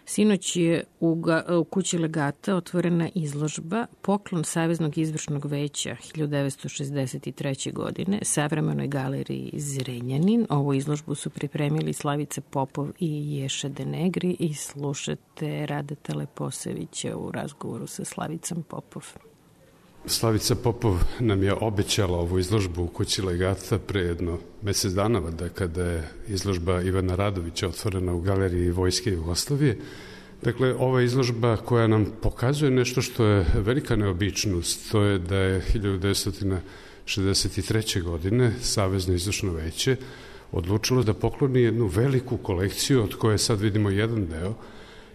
Sinoć je u kući Legata otvorena izložba Poklon Saveznog izvršnog veća 1963. godine Savremenoj galeriji Zrenjanin. Ovu izložbu su pripremili Slavica Popov i Ješa Denegri i slušate Radeta Leposevića u razgovoru sa Slavicom Popov. Slavica Popov nam je obećala ovu izložbu u kući Legata pre jedno mesec dana, kada je izložba Ivana Radovića otvorena u galeriji Vojske Jugoslavije. Dakle, ova izložba koja nam pokazuje nešto što je velika neobičnost, to je da je 1963. godine Savezno izvršno veće odlučilo da pokloni jednu veliku kolekciju od koje sad vidimo jedan deo,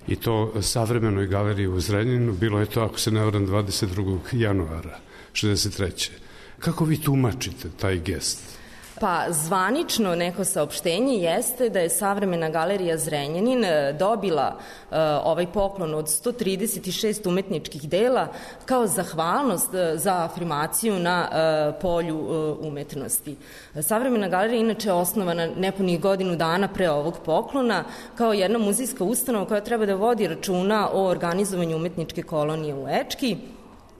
i to savremenoj galeriji u Zrenjaninu. Bilo je to, ako se ne varam, 22. januara 1963. Kako vi tumačite taj gest? Pa zvanično neko saopštenje jeste da je Savremena galerija Zrenjanin dobila ovaj poklon od 136 umetničkih dela kao zahvalnost za afirmaciju na polju umetnosti. Savremena galerija inače je osnovana nepunih godinu dana pre ovog poklona kao jedna muzejska ustanova koja treba da vodi računa o organizovanju umetničke kolonije u Ečki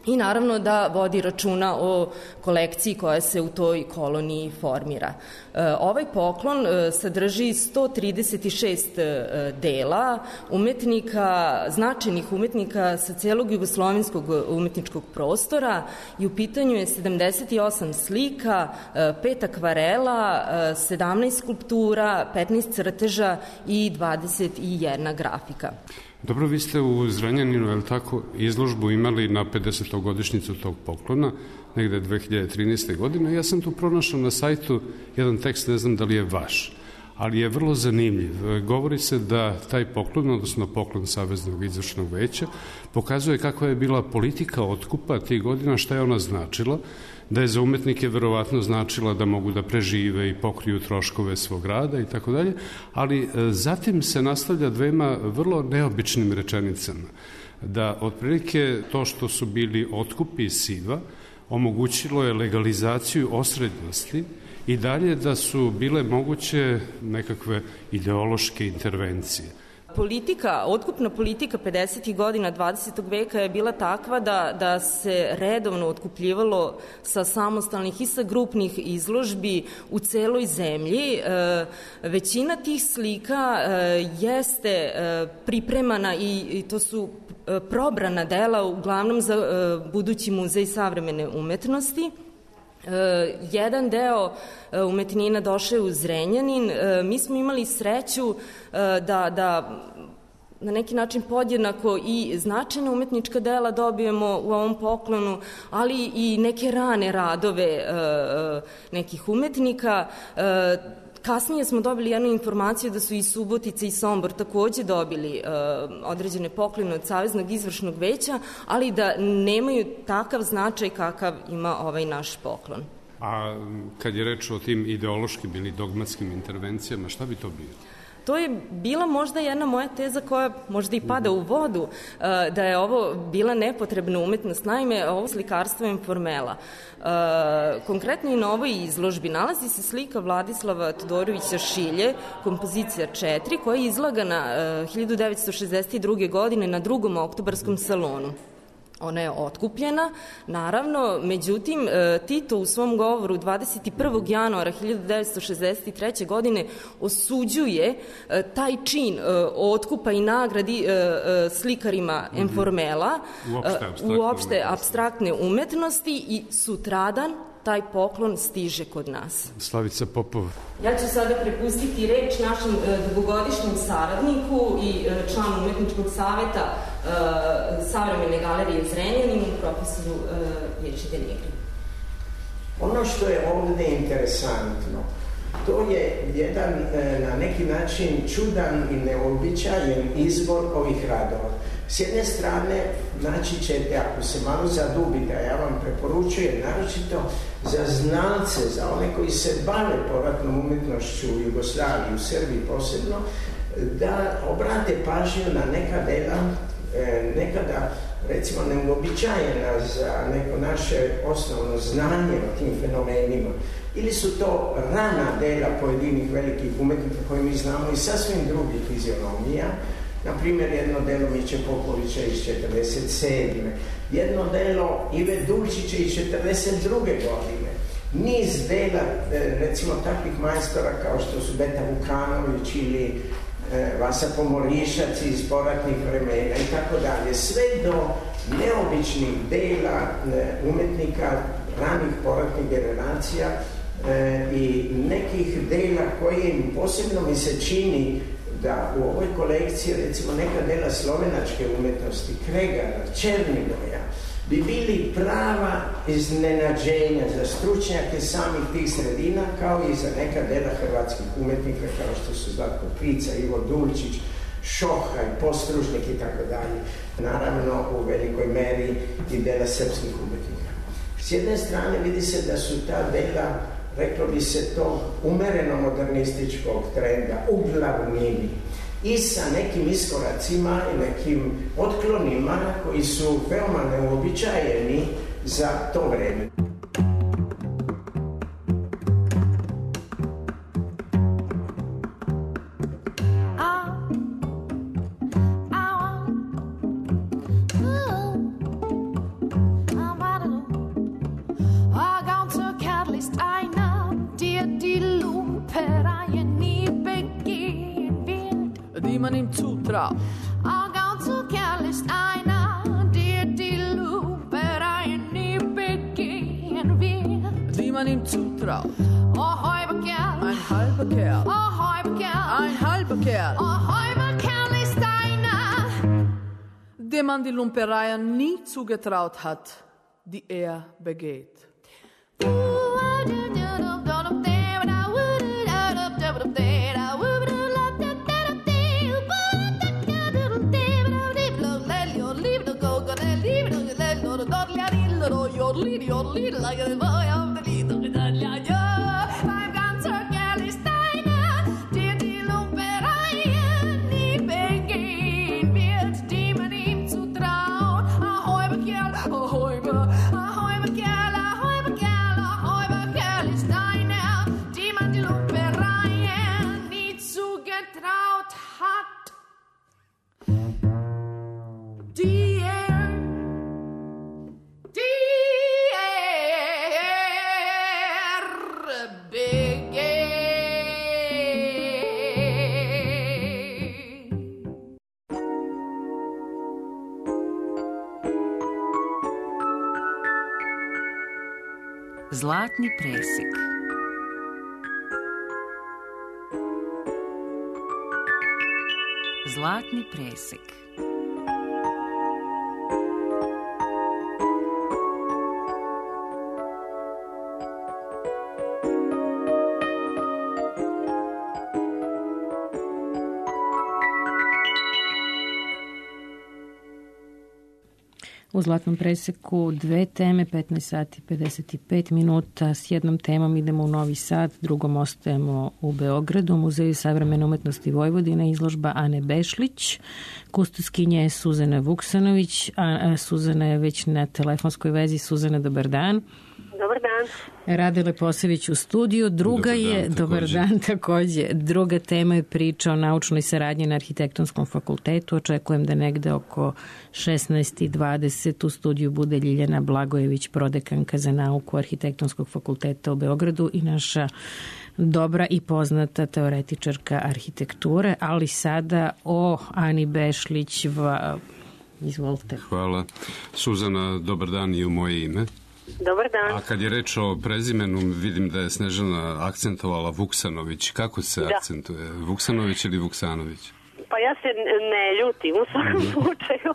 i naravno da vodi računa o kolekciji koja se u toj koloniji formira. Ovaj poklon sadrži 136 dela umetnika, značajnih umetnika sa celog jugoslovenskog umetničkog prostora i u pitanju je 78 slika, 5 akvarela, 17 skulptura, 15 crteža i 21 grafika. Dobro, vi ste u Zrenjaninu, je li tako, izložbu imali na 50-godišnjicu tog poklona, negde 2013. godine. Ja sam tu pronašao na sajtu jedan tekst, ne znam da li je vaš, ali je vrlo zanimljiv. Govori se da taj poklon, odnosno poklon Saveznog izvršnog veća, pokazuje kakva je bila politika otkupa tih godina, šta je ona značila, da je za umetnike verovatno značila da mogu da prežive i pokriju troškove svog rada i tako dalje, ali zatim se nastavlja dvema vrlo neobičnim rečenicama, da otprilike to što su bili otkupi iz SIV-a omogućilo je legalizaciju osrednjosti i dalje da su bile moguće nekakve ideološke intervencije. Otkupna politika 50. godina 20. veka je bila takva da se redovno otkupljivalo sa samostalnih i sa grupnih izložbi u celoj zemlji. Većina tih slika jeste pripremana i to su probrana dela uglavnom za budući muzej savremene umetnosti. Jedan deo umetnina došao je u Zrenjanin. Mi smo imali sreću da na neki način podjednako i značajna umetnička dela dobijemo u ovom poklonu, ali i neke rane radove nekih umetnika. Kasnije smo dobili jednu informaciju da su i Subotica i Sombor takođe dobili određene poklone od Saveznog izvršnog veća, ali da nemaju takav značaj kakav ima ovaj naš poklon. A kad je reč o tim ideološkim ili dogmatskim intervencijama, šta bi to bilo? To je bila možda jedna moja teza koja možda i pada u vodu, da je ovo bila nepotrebna umetnost. Naime, ovo slikarstvo je informela. Konkretno i na ovoj izložbi nalazi se slika Vladislava Todorovića Šilje, kompozicija 4, koja je izlagana 1962. godine na 2. oktobarskom salonu. Ona je otkupljena, naravno, međutim, Tito u svom govoru 21. januara 1963. godine osuđuje taj čin otkupa i nagradi slikarima informela, uopšte apstraktne umetnosti i sutradan taj poklon stiže kod nas. Slavica Popov. Ja ću sada prepustiti reč našem dugogodišnjem saradniku i članu umetničkog saveta Savremene galerije Zrenjanin, profesoru Ješi Denigri. Ono što je ovde interesantno, to je jedan na neki način čudan i neobičajen izbor ovih radova. S jedne strane, naći ćete, ako se malo zadubite, a ja vam preporučujem, naročito za znalce, za one koji se bave povratnom umetnošću u Jugoslaviji, u Srbiji posebno, da obrate pažnju na neka dela, nekada, recimo, neuobičajena za neko naše osnovno znanje o tim fenomenima. Ili su to rana dela pojedinih velikih umetnika koje mi znamo i sasvim drugih fizionomija. Naprimjer, jedno delo Miće Popovića iz 1947. Jedno delo Ive Dulčića iz 1942. godine. Niz dela, recimo, takvih majstora kao što su Beta Vukanović ili Vasa Pomorišac iz poratnih vremena i tako dalje. Sve do neobičnih dela umetnika ranih poratnih generacija i nekih dela koje im posebno mi se čini da u ovoj kolekciji recimo neka dela slovenačke umetnosti, Kregara, Černigoja, bi bili prava iznenađenja za stručnjake samih tih sredina, kao i za neka dela hrvatskih umetnika, kao što su Zlatko Prica, Ivo Dulčić, Šohaj, Postružnik i tako dalje. Naravno, u velikoj meri i dela srpskih umetnika. S jedne strane vidi se da su ta dela, reklo bi se to, umereno modernističkog trenda, u glavnini, i sa nekim iskoracima i nekim otklonima koji su veoma neuobičajeni za to vreme. Man im zutraut. Auch ganz so kärlich einer, der die Lupe rein nie begehen will. Die man ihm zutraut. Oh, halber Kerl. Ein halber Kerl. Oh, halber Kerl. Ein halber Kerl. Oh, halber Kerl ist einer, dem man die Lumpereien nie zugetraut hat, die begeht. Like a boy of the little beim ganzer Kerl ist einer, der die Lumpereien nie begehen wird, die man ihm zutraut. Ahoi, Kerl, ahoi, Kerl, ahoi, Kerl, ahoi, Kerl ist einer, die man die Lumpereien nie zugetraut hat. Zlatni presek. Zlatni presek. U Zlatnom preseku dve teme, 15 sati 55 minuta. S jednom temom idemo u Novi Sad, drugom ostajemo u Beogradu, u Muzeju savremene umetnosti Vojvodine, izložba Ane Bešlić, kustoskinja je Suzana Vuksanović, a Suzana je već na telefonskoj vezi. Suzana, dobar dan. Dobar dan. Rade Leposević u studiju. Dobar dan takođe. Druga tema je priča o naučnoj saradnji na Arhitektonskom fakultetu. Očekujem da negde oko 16:20 u studiju bude Ljiljana Blagojević, prodekanka za nauku Arhitektonskog fakulteta u Beogradu i naša dobra i poznata teoretičarka arhitekture, ali sada o Ani Bešlić. Izvolite. Hvala. Suzana, dobar dan i u moje ime. Dobar dan. A kad je reč o prezimenu, vidim da je Snežana akcentovala Vuksanović. Kako se akcentuje? Vuksanović ili Vuksanović? Pa ja se ne ljutim u svakom slučaju,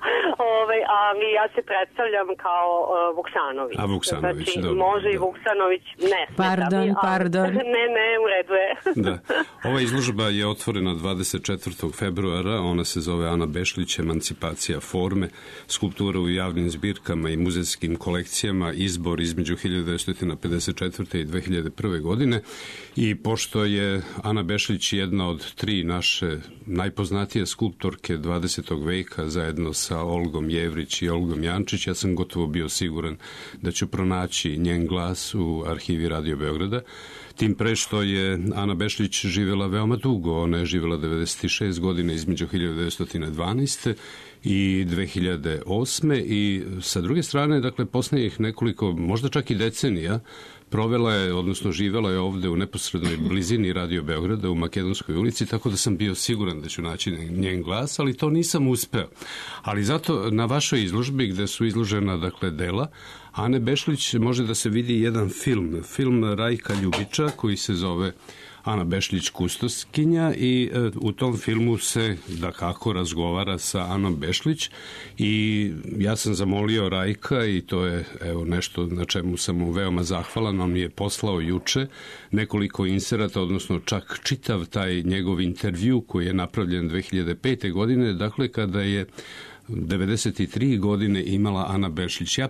ali ja se predstavljam kao Vuksanović. A Vuksanović, znači, dobro. Može i Vuksanović, ne. Pardon. Ne, u redu je. Da. Ova izložba je otvorena 24. februara, ona se zove Ana Bešlić, emancipacija forme, skulptura u javnim zbirkama i muzejskim kolekcijama, izbor između 1954. i 2001. godine. I pošto je Ana Bešlić jedna od tri naše najpoznatije skulptorke 20. veka zajedno sa Olgom Jevrić i Olgom Jančić, ja sam gotovo bio siguran da ću pronaći njen glas u arhivi Radio Beograda. Tim pre što je Ana Bešlić živjela veoma dugo, ona je živjela 96 godina između 1912. i 2008. i sa druge strane, dakle, posljednjih nekoliko, možda čak i decenija, provela je, odnosno živela je ovde u neposrednoj blizini Radio Beograda u Makedonskoj ulici, tako da sam bio siguran da ću naći njen glas, ali to nisam uspeo. Ali zato na vašoj izložbi, gde su izložena, dakle, dela Ane Bešlić može da se vidi jedan film Rajka Ljubića koji se zove Ana Bešlić kustoskinja i u tom filmu se dakako razgovara sa Anom Bešlić i ja sam zamolio Rajka i to je nešto na čemu sam mu veoma zahvalan, on mi je poslao juče nekoliko inserata, odnosno čak čitav taj njegov intervju koji je napravljen 2005. godine, dakle kada je 93 godine imala Ana Bešlić. Ja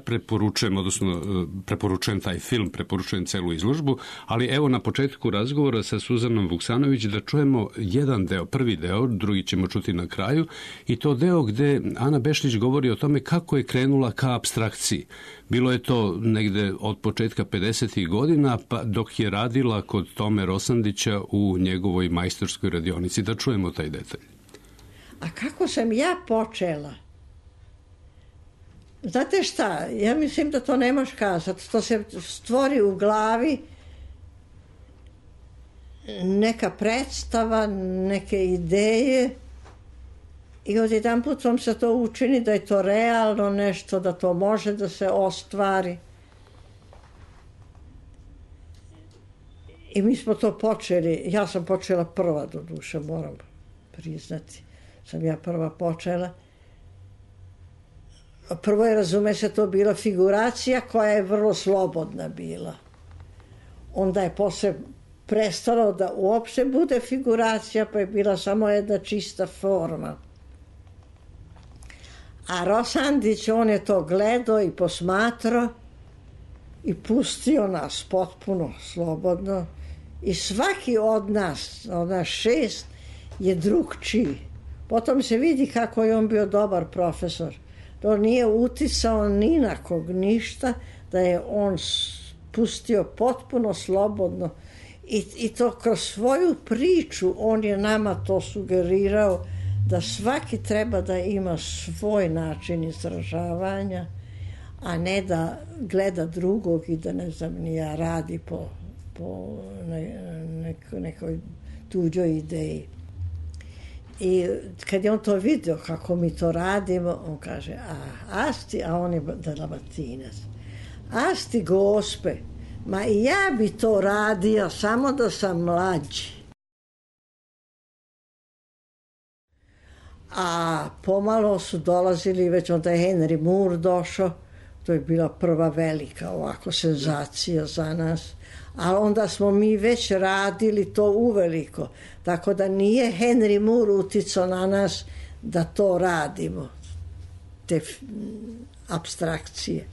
preporučujem taj film, preporučujem celu izložbu, ali evo na početku razgovora sa Suzanom Vuksanović da čujemo jedan deo, prvi deo, drugi ćemo čuti na kraju, i to deo gde Ana Bešlić govori o tome kako je krenula ka apstrakciji. Bilo je to negde od početka 50. godina, pa dok je radila kod Tome Rosandića u njegovoj majstorskoj radionici. Da čujemo taj detalj. A kako sam ja počela? Znate šta, ja mislim da to ne možeš kazati. To se stvori u glavi neka predstava, neke ideje i odjedan put vam se to učini da je to realno nešto, da to može da se ostvari. I mi smo to počeli, ja sam počela prva do duše, moram priznati. Sam ja prva počela. Prvo je, razume se, to bila figuracija koja je vrlo slobodna bila. Onda je posle prestalo da uopšte bude figuracija, pa je bila samo jedna čista forma. A Rosandić, on je to gledao i posmatrao i pustio nas potpuno slobodno. I svaki od nas 6, je drugčiji. Potom se vidi kako je on bio dobar profesor. To nije uticao ni na kog ništa, da je on pustio potpuno slobodno. I to kroz svoju priču on je nama to sugerirao da svaki treba da ima svoj način izražavanja, a ne da gleda drugog i da ne znam ni ja radi po nekoj tuđoj ideji. I kad je on to vidio kako mi to radimo, on kaže, a on je Dalmatinac, asti gospe, ma i ja bi to radio, samo da sam mlađi. A pomalo su dolazili, već onda je Henry Moore došao, to je bila prva velika ovako senzacija za nas. A onda smo mi već radili to uveliko. Tako da nije Henry Moore uticao na nas da to radimo, te apstrakcije.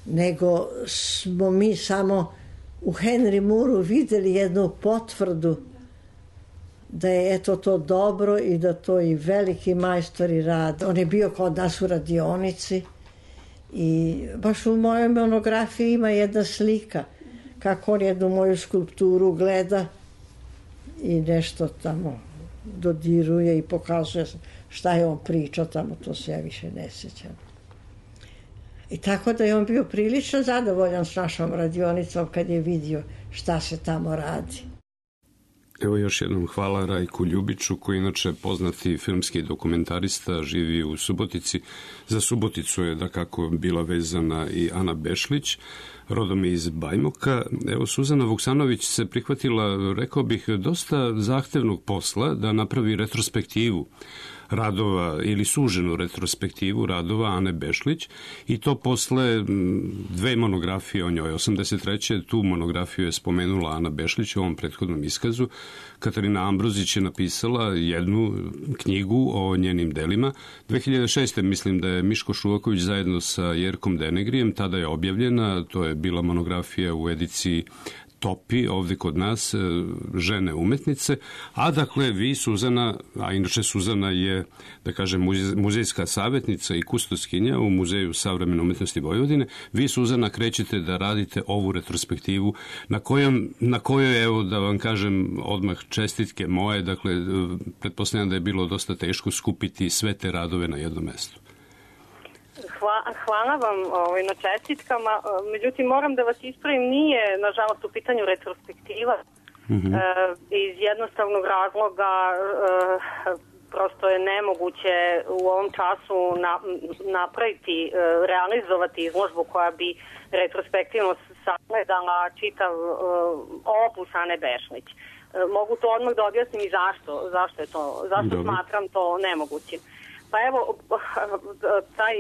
Nego smo mi samo u Henry Mooreu videli jednu potvrdu da je eto to dobro i da to i veliki majstori rade. On je bio kod nas u radionici i baš u mojoj monografiji ima jedna slika kako on jednu moju skulpturu gleda i nešto tamo dodiruje i pokazuje šta je on pričao tamo, to se ja više ne sjećam. I tako da je on bio prilično zadovoljan s našom radionicom kad je vidio šta se tamo radi. Evo još jednom hvala Rajku Ljubiću, koji inače poznati filmski dokumentarista, živi u Subotici. Za Suboticu je dakako bila vezana i Ana Bešlić, rodom iz Bajmoka. Evo, Suzana Vuksanović se prihvatila, rekao bih, dosta zahtevnog posla da napravi retrospektivu radova ili suženu retrospektivu radova Ane Bešlić i to posle dve monografije o njoj. 83. tu monografiju je spomenula Ana Bešlić u ovom prethodnom iskazu. Katarina Ambrozić je napisala jednu knjigu o njenim delima. 2006. mislim da je Miško Šuvaković zajedno sa Jerkom Denegrijem, tada je objavljena, to je bila monografija u ediciji Topi, ovde kod nas, žene umetnice, a dakle vi, Suzana, a inače Suzana je, da kažem, muzejska savjetnica i kustoskinja u Muzeju savremene umetnosti Vojvodine, vi, Suzana, krećete da radite ovu retrospektivu na kojoj, evo da vam kažem odmah čestitke moje, dakle, pretpostavljam da je bilo dosta teško skupiti sve te radove na jednom mestu. Hvala vam na čestitkama, međutim moram da vas ispravim, nije nažalost u pitanju retrospektiva, iz jednostavnog razloga prosto je nemoguće u ovom času napraviti, realizovati izložbu koja bi retrospektivno sagledala čitav opus Ane Bešlić. Mogu to odmah da objasnim i zašto je to, zašto smatram to nemogućim. Pa evo, taj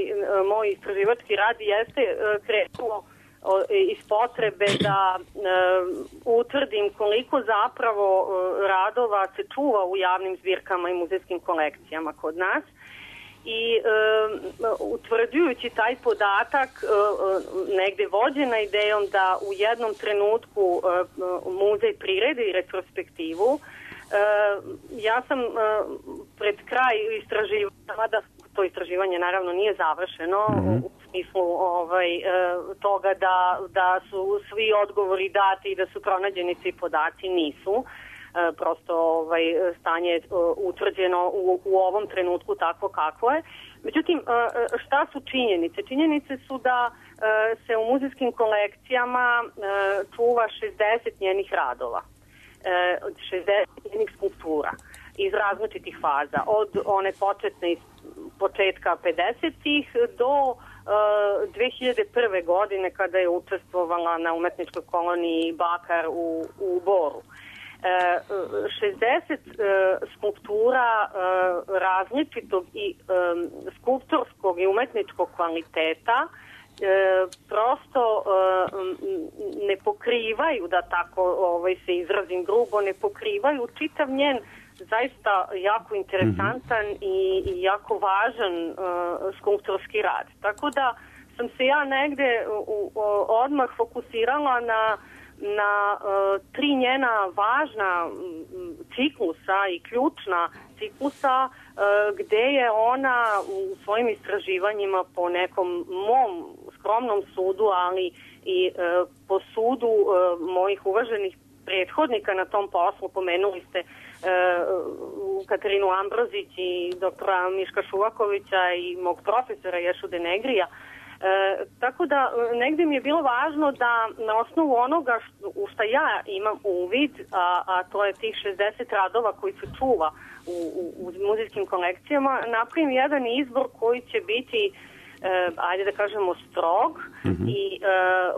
moj istraživački rad jeste krenuo iz potrebe da utvrdim koliko zapravo radova se čuva u javnim zbirkama i muzejskim kolekcijama kod nas. I utvrđujući taj podatak, negde vođena idejom da u jednom trenutku muzej priredi retrospektivu, ja sam pred kraj istraživanja, da to istraživanje naravno nije završeno, u smislu toga da su svi odgovori dati i da su pronađeni svi podaci, nisu. Prosto stanje je utvrđeno u ovom trenutku tako kako je. Međutim, šta su činjenice? Činjenice su da se u muzejskim kolekcijama čuva 60 njenih radova, 60 njenih skulptura iz različitih faza, od one početne iz početka 50-ih do 2001. godine kada je učestvovala na umetničkoj koloniji Bakar u Boru. 60 skulptura različitog i skulptorskog i umetničkog kvaliteta prosto ne pokrivaju, da tako se izrazim grubo, ne pokrivaju čitav njen zaista jako interesantan i jako važan skulptorski rad. Tako da sam se ja negde odmah fokusirala na tri njena važna ciklusa i ključna ciklusa gde je ona u svojim istraživanjima po nekom mom skromnom sudu, ali i po sudu mojih uvaženih prethodnika na tom poslu, pomenuli ste Katarinu Ambrozić i doktora Miška Šuvakovića i mog profesora Ješu Denegrija. Tako da negde mi je bilo važno da na osnovu onoga u šta ja imam uvid, a to je tih 60 radova koji se čuva u muzejskim kolekcijama, napravim jedan izbor koji će biti ajde da kažemo strog i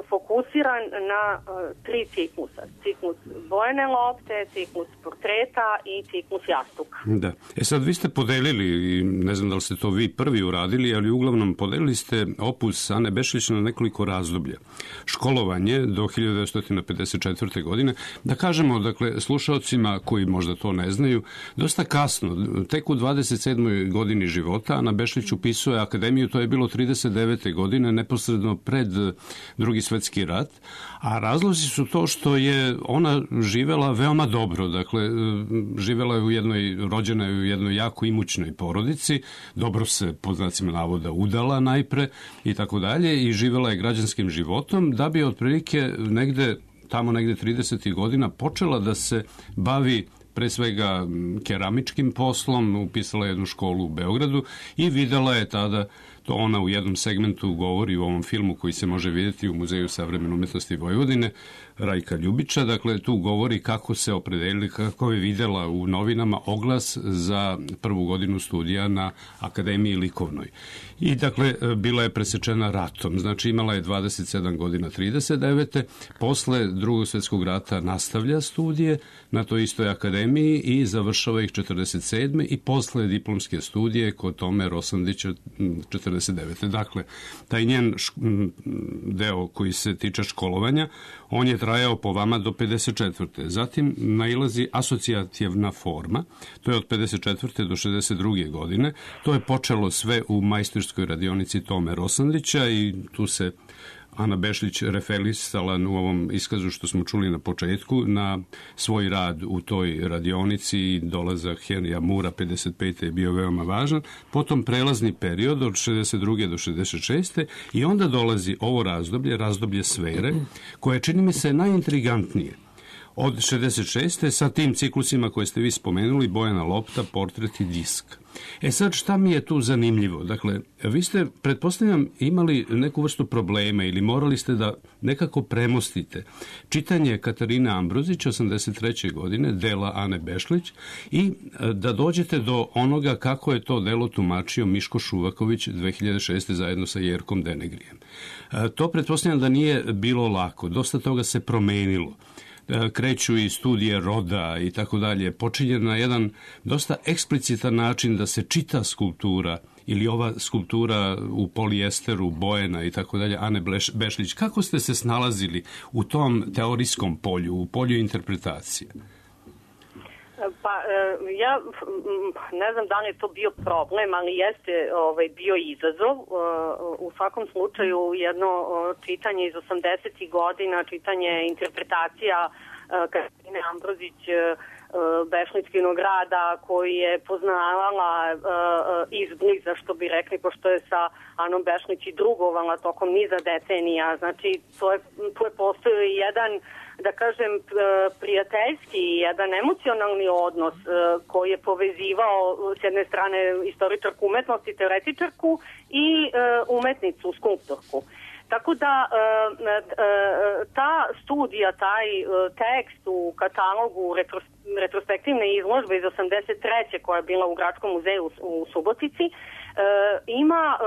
fokusiran na tri ciklusa. Ciklus bojene lopte, ciklus portreta i ciklus jastuka. Da. Sad vi ste podelili, ne znam da li ste to vi prvi uradili, ali uglavnom podelili ste opus Ane Bešlić na nekoliko razdoblja. Školovanje do 1954. godine. Da kažemo, dakle, slušaocima koji možda to ne znaju, dosta kasno, tek u 27. godini života Ana Bešlić upisuje akademiju, to je bilo 39. godine, neposredno pred Drugi svetski rat, a razlozi su to što je ona živela veoma dobro, dakle, živela je rođena je u jednoj jako imućnoj porodici, dobro se, pod znacima navoda, udala najpre i tako dalje, i živela je građanskim životom, da bi otprilike tamo negde 30. godina počela da se bavi pre svega keramičkim poslom, upisala jednu školu u Beogradu i videla je tada, to ona u jednom segmentu govori u ovom filmu koji se može vidjeti u Muzeju savremene umetnosti Vojvodine, Rajka Ljubića, dakle tu govori kako se opredelili, kako je videla u novinama oglas za prvu godinu studija na Akademiji likovnoj. I dakle, bila je presečena ratom, znači imala je 27 godina 39. Posle Drugog svjetskog rata nastavlja studije na toj istoj akademiji i završava ih 47. i posle diplomske studije kod Tome Rosandića 49. Dakle, taj njen deo koji se tiče školovanja, on je trajao po vama do 54. Zatim nailazi asocijativna forma, to je od 54. do 62. godine. To je počelo sve u majstorskoj radionici Tome Rosandića i tu se Ana Bešlić referisala u ovom iskazu što smo čuli na početku na svoj rad u toj radionici i dolazak Henrya Mura 55. je bio veoma važan. Potom prelazni period od 62. do 66. i onda dolazi ovo razdoblje sfere, koje čini mi se najintrigantnije. od 66. sa tim ciklusima koje ste vi spomenuli, Bojana lopta, portret i disk. Sad, šta mi je tu zanimljivo? Dakle, vi ste, pretpostavljam, imali neku vrstu problema ili morali ste da nekako premostite čitanje Katarine Ambrozić 83. godine, dela Ane Bešlić, i da dođete do onoga kako je to delo tumačio Miško Šuvaković 2006. zajedno sa Jerkom Denegrijem. To pretpostavljam da nije bilo lako, dosta toga se promenilo. Kreću i studije roda i tako dalje, počinje na jedan dosta eksplicitan način da se čita skulptura ili ova skulptura u polijesteru, Bojena i tako dalje, Ane Bešlić. Kako ste se snalazili u tom teorijskom polju, u polju interpretacije? Pa ja ne znam da li je to bio problem, ali jeste bio izazov. U svakom slučaju jedno čitanje iz 80. godina, čitanje interpretacija Katarine Ambrozić Bešlićkinog rada koji je poznavala izbliza, što bi rekli, pošto je sa Anom Bešlić i drugovala tokom niza decenija. Znači, tu je postojao jedan, da kažem, prijateljski, jedan emocionalni odnos koji je povezivao s jedne strane istoričarku umetnosti, teoretičarku i umetnicu, skulptorku. Tako da ta studija, taj tekst u katalogu retrospektivne izložbe iz 83. koja je bila u Gradskom muzeju u Subotici, ima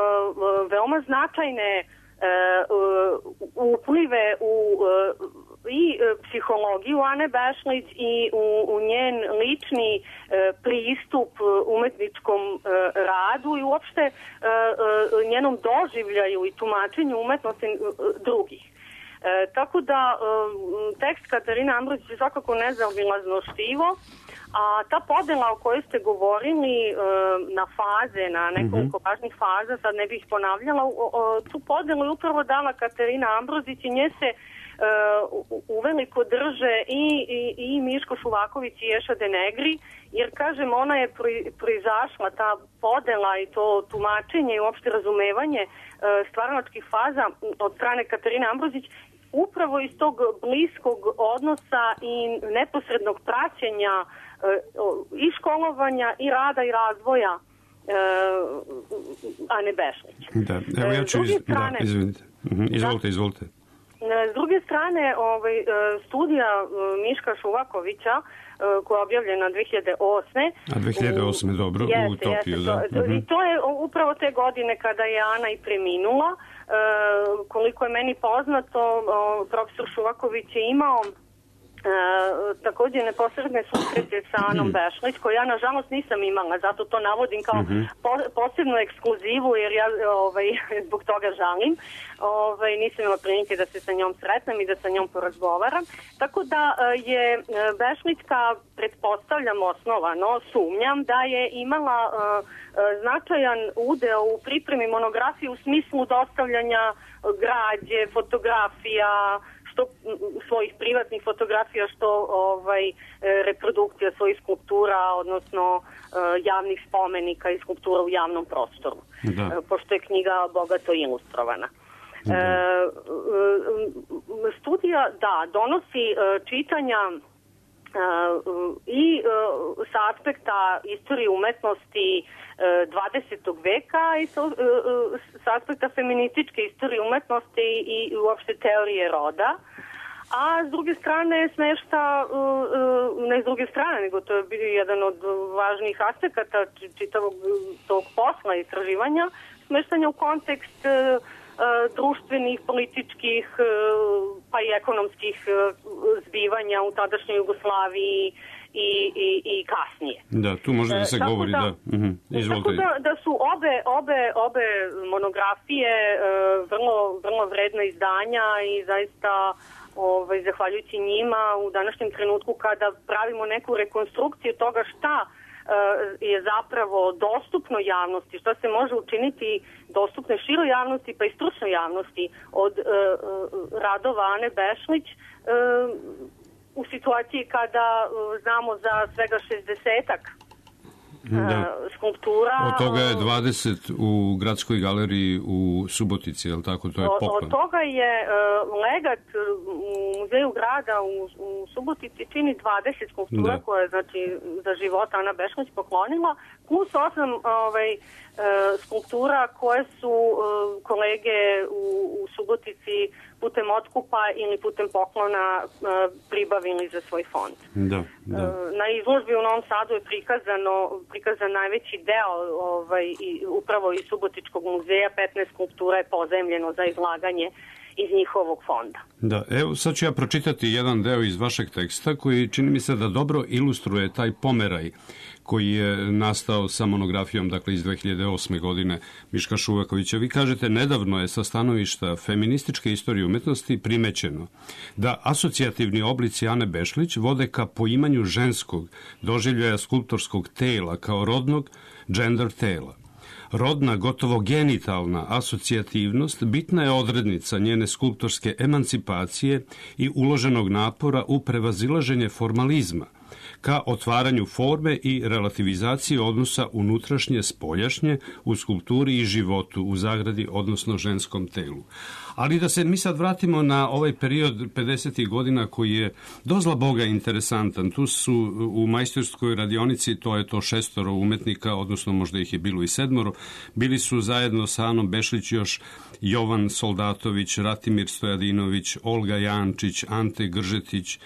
veoma značajne uplive u i psihologiju Ane Bešlić i u njen lični pristup umetničkom radu i uopšte njenom doživljaju i tumačenju umetnosti drugih. Tako da tekst Katarine Ambrozić je svakako nezaobilazno štivo, a ta podela o kojoj ste govorili na faze, na nekoliko važnih faza, sad ne bih ponavljala, tu podelu je upravo dala Katarina Ambrozić i nje se uveliko drže i Miško Šuvaković i Ješa Denegri, jer kažem, ona je proizašla, ta podela i to tumačenje i uopšte razumevanje stvaralačkih faza od strane Katarine Ambrozić upravo iz tog bliskog odnosa i neposrednog praćenja i školovanja i rada i razvoja Ane Bešlić. Da, evo ja ću izvinite. Izvolite. S druge strane, studija Miška Šuvakovića koja je objavljena 2008. A 2008. dobro, u Utopiju, da. I to je upravo te godine kada je Ana i preminula. Koliko je meni poznato, profesor Šuvaković je imao takođe neposredne susrete sa Anom Bešlić, koje ja nažalost nisam imala, zato to navodim kao posebnu ekskluzivu, jer ja zbog toga žalim. Nisam imala prilike da se sa njom sretnem i da sa njom porazgovaram. Tako da je Bešlićka, pretpostavljam osnovano, sumnjam da je imala značajan udeo u pripremi monografije u smislu dostavljanja građe, fotografija, što svojih privatnih fotografija, što reprodukcija svojih skulptura, odnosno javnih spomenika i skulptura u javnom prostoru, pošto je knjiga bogato ilustrovana. Studija, donosi čitanja i sa aspekta istorije umetnosti 20. veka i sa aspekta feminističke istorije umetnosti i uopšte teorije roda, a s druge strane smešta, ne s druge strane, nego to je bio jedan od važnijih aspekata čitavog tog posla istraživanja, smeštanja u kontekst društvenih, političkih pa i ekonomskih zbivanja u tadašnjoj Jugoslaviji i kasnije. Da, tu može da se govori, da. Izvolite. Tako da su obe monografije vrlo vredna izdanja i zaista zahvaljujući njima u današnjem trenutku kada pravimo neku rekonstrukciju toga šta je zapravo dostupno javnosti, šta se može učiniti dostupno široj javnosti pa i stručnoj javnosti od radova Ane Bešlić u situaciji kada znamo za svega 60-ak skulptura. Od toga je 20 u Gradskoj galeriji u Subotici, je li tako? To je poklon. Od toga je legat u Muzeju grada u Subotici čini 20 skulptura koje je znači, za života Ana Bešlić poklonila, plus 8 skulptura koje su kolege u Subotici putem otkupa ili putem poklona pribavili za svoj fond. Na izložbi u Novom Sadu je prikazan najveći deo upravo iz Subotičkog muzeja, 15 skulptura je pozemljeno za izlaganje iz njihovog fonda. Da, evo sad ću ja pročitati jedan deo iz vašeg teksta koji čini mi se da dobro ilustruje taj pomeraj koji je nastao sa monografijom, dakle iz 2008. godine Miška Šuvakovića. Vi kažete, nedavno je sa stanovišta feminističke istorije umetnosti primećeno da asocijativni oblici Ane Bešlić vode ka poimanju ženskog doživljaja skulptorskog tela kao rodnog gender tela. Rodna, gotovo genitalna asocijativnost bitna je odrednica njene skulptorske emancipacije i uloženog napora u prevazilaženje formalizma, ka otvaranju forme i relativizaciji odnosa unutrašnje spoljašnje u skulpturi i životu, u zagradi, odnosno ženskom telu. Ali da se mi sad vratimo na ovaj period 50. godina koji je dozla Boga interesantan. Tu su u majstorskoj radionici, to je to 6 umetnika, odnosno možda ih je bilo i 7, bili su zajedno sa Anom Bešlić još Jovan Soldatović, Ratimir Stojadinović, Olga Jančić, Ante Gržetić,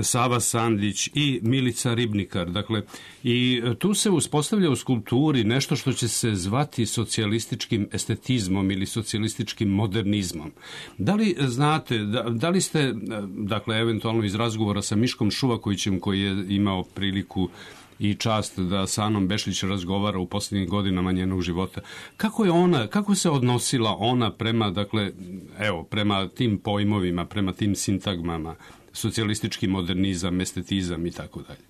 Sava Sandić i Milica Ribnikar. Dakle, i tu se uspostavlja u skulpturi nešto što će se zvati socijalističkim estetizmom ili socijalističkim modernizmom. Da li znate, da li ste, dakle, eventualno iz razgovora sa Miškom Šuvakovićem koji je imao priliku i čast da sa Anom Bešlić razgovara u posljednjim godinama njenog života. Kako se odnosila ona prema, dakle, evo, prema tim pojmovima, prema tim sintagmama, socijalistički modernizam, estetizam i tako dalje?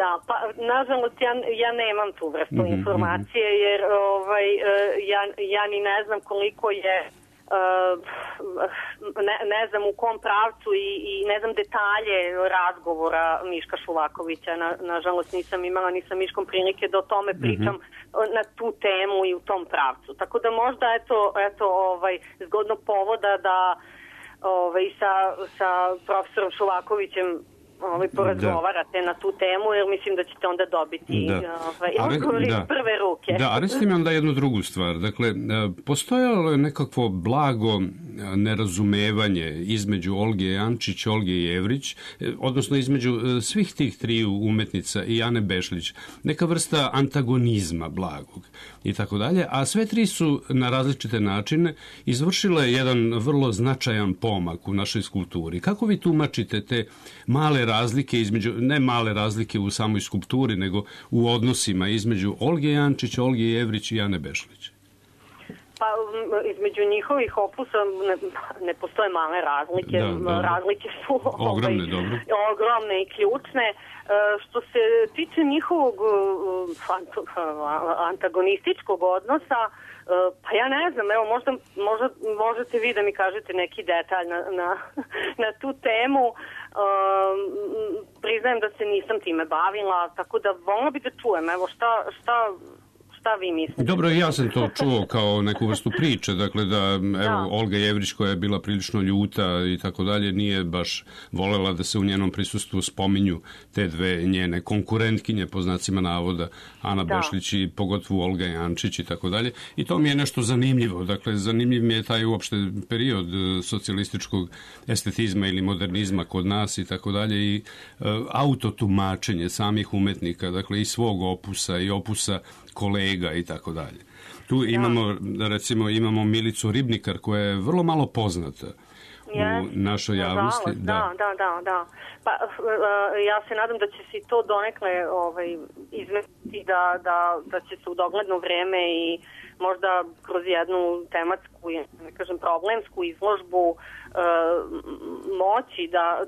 Da, pa nažalost ja nemam tu vrstu informacije jer ja ni ne znam koliko je ne znam u kom pravcu i ne znam detalje razgovora Miška Šuvakovića. Nažalost nisam imala ni sa Miškom prilike da o tome pričam na tu temu i u tom pravcu. Tako da možda eto zgodnog povoda da sa profesorom Šuvakovićem porazgovarate na tu temu, jer mislim da ćete onda dobiti odgovor iz prve ruke. Da, a recite mi onda jednu drugu stvar. Dakle, postojalo je nekakvo blago nerazumevanje između Olge Jančić, Olge Jevrić, odnosno između svih tih triju umetnica i Ane Bešlić, neka vrsta antagonizma blagog i tako dalje, a sve tri su na različite načine izvršile jedan vrlo značajan pomak u našoj skulpturi. Kako vi tumačite te male razlike između, ne male razlike u samoj skulpturi, nego u odnosima između Olge Jančić, Olge Jevrić i Ane Bešlić? Pa između njihovih opusa ne postoje male razlike. Razlike su ogromne i ključne. Što se tiče njihovog antagonističkog odnosa, pa ja ne znam, evo možda možete vi da mi kažete neki detalj na tu temu. Priznajem da se nisam time bavila, tako da voljela bi da čujem, evo šta vi mislite? Dobro, ja sam to čuo kao neku vrstu priče, dakle da evo Olga Jevrić koja je bila prilično ljuta i tako dalje, nije baš volela da se u njenom prisustvu spominju te dve njene konkurentkinje po znacima navoda, Ana Bešlić i pogotovo Olga Jančić i tako dalje. I to mi je nešto zanimljivo. Dakle, zanimljiv mi je taj uopšte period socijalističkog estetizma ili modernizma kod nas i tako dalje i autotumačenje samih umetnika, dakle i svog opusa i opusa kolega i tako dalje. Tu imamo Milicu Ribnikar koja je vrlo malo poznata u našoj javnosti. Da. Pa ja se nadam da će se to donekle izmestiti da će se u dogledno vreme i možda kroz jednu tematsku, ne kažem problemsku izložbu moći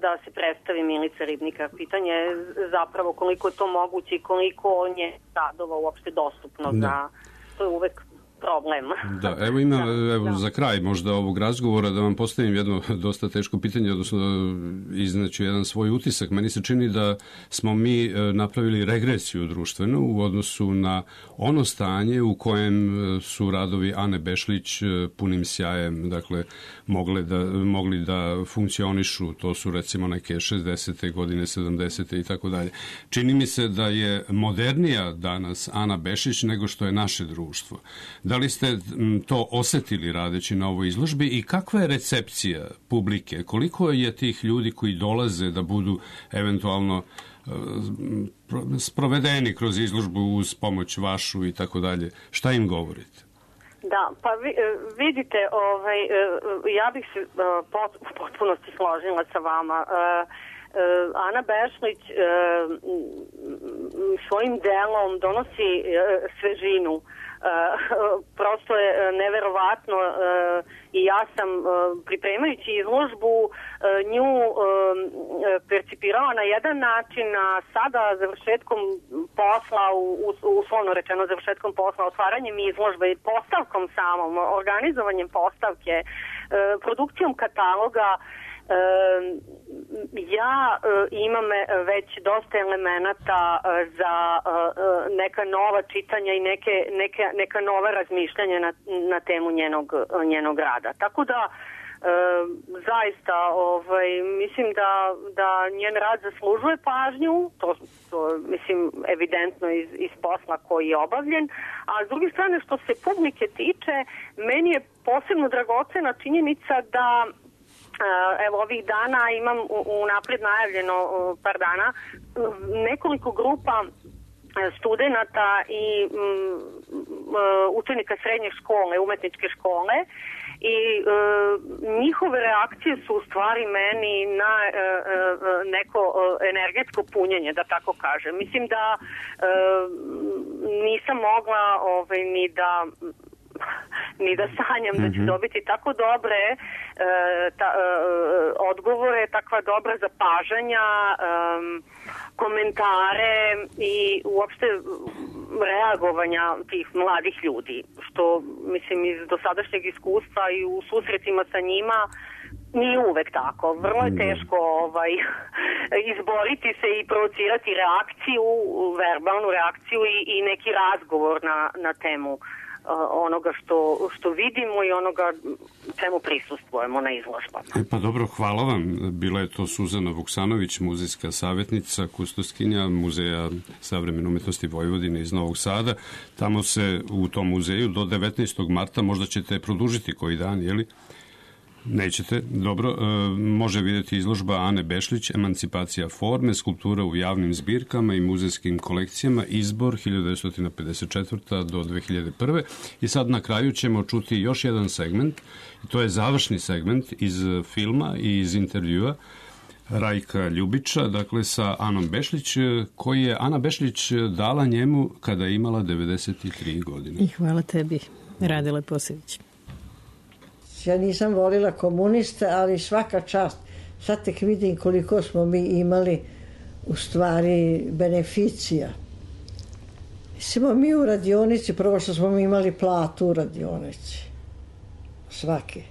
da se predstavi Milica Ribnikar. Pitanje je zapravo koliko je to moguće i koliko nje radova uopšte dostupno za... To je uvek problem. Da, evo za kraj možda ovog razgovora da vam postavim jedno dosta teško pitanje, odnosno iznaću jedan svoj utisak. Meni se čini da smo mi napravili regresiju društvenu u odnosu na ono stanje u kojem su radovi Ane Bešlić punim sjajem, dakle, mogli da funkcionišu. To su recimo neke 60. godine, 70. i tako dalje. Čini mi se da je modernija danas Ana Bešlić nego što je naše društvo. Da li ste to osetili radeći na ovoj izložbi i kakva je recepcija publike? Koliko je tih ljudi koji dolaze da budu eventualno sprovedeni kroz izložbu uz pomoć vašu i tako dalje? Šta im govorite? Da, pa vidite, ja bih se u potpunosti složila sa vama. Ana Bešlić svojim delom donosi svežinu. Prosto je neverovatno i ja sam pripremajući izložbu nju percipirala na jedan način, a sada završetkom posla, uslovno rečeno završetkom posla, otvaranjem izložbe i postavkom samom, organizovanjem postavke, produkcijom kataloga, ja imam već dosta elemenata za neka nova čitanja i neka nova razmišljanja na temu njenog rada. Tako da zaista mislim da njen rad zaslužuje pažnju, to mislim evidentno iz posla koji je obavljen, a s druge strane što se publike tiče, meni je posebno dragocena činjenica da evo ovih dana imam unapred najavljeno par dana nekoliko grupa studenata i učenika srednje škole, umetničke škole i njihove reakcije su u stvari meni na neko energetsko punjenje, da tako kažem. Mislim da nisam mogla ni da sanjam da ću dobiti tako dobre odgovore, takva dobra zapažanja, komentare i uopšte reagovanja tih mladih ljudi, što mislim iz dosadašnjeg iskustva i u susretima sa njima nije uvek tako. Vrlo je teško izboriti se i provocirati reakciju, verbalnu reakciju i neki razgovor na temu onoga što vidimo i onoga čemu prisustvujemo na izložbama. Pa dobro, hvala vam. Bila je to Suzana Vuksanović, muzejska savjetnica, kustoskinja Muzeja savremene umetnosti Vojvodine iz Novog Sada. Tamo se u tom muzeju do 19. marta, možda ćete produžiti koji dan, je li? Nećete, dobro. Može vidjeti izložba Ane Bešlić, Emancipacija forme, skulptura u javnim zbirkama i muzejskim kolekcijama, izbor 1954. do 2001. I sad na kraju ćemo čuti još jedan segment, to je završni segment iz filma i iz intervjua Rajka Ljubića, dakle sa Anom Bešlić, koji je Ana Bešlić dala njemu kada je imala 93 godine. I hvala tebi, Radile Posević. Ja nisam volila komuniste, ali svaka čast. Sad tek vidim koliko smo mi imali u stvari beneficija. Mislimo mi u radionici, prvo što smo mi imali platu u radionici. Svaki.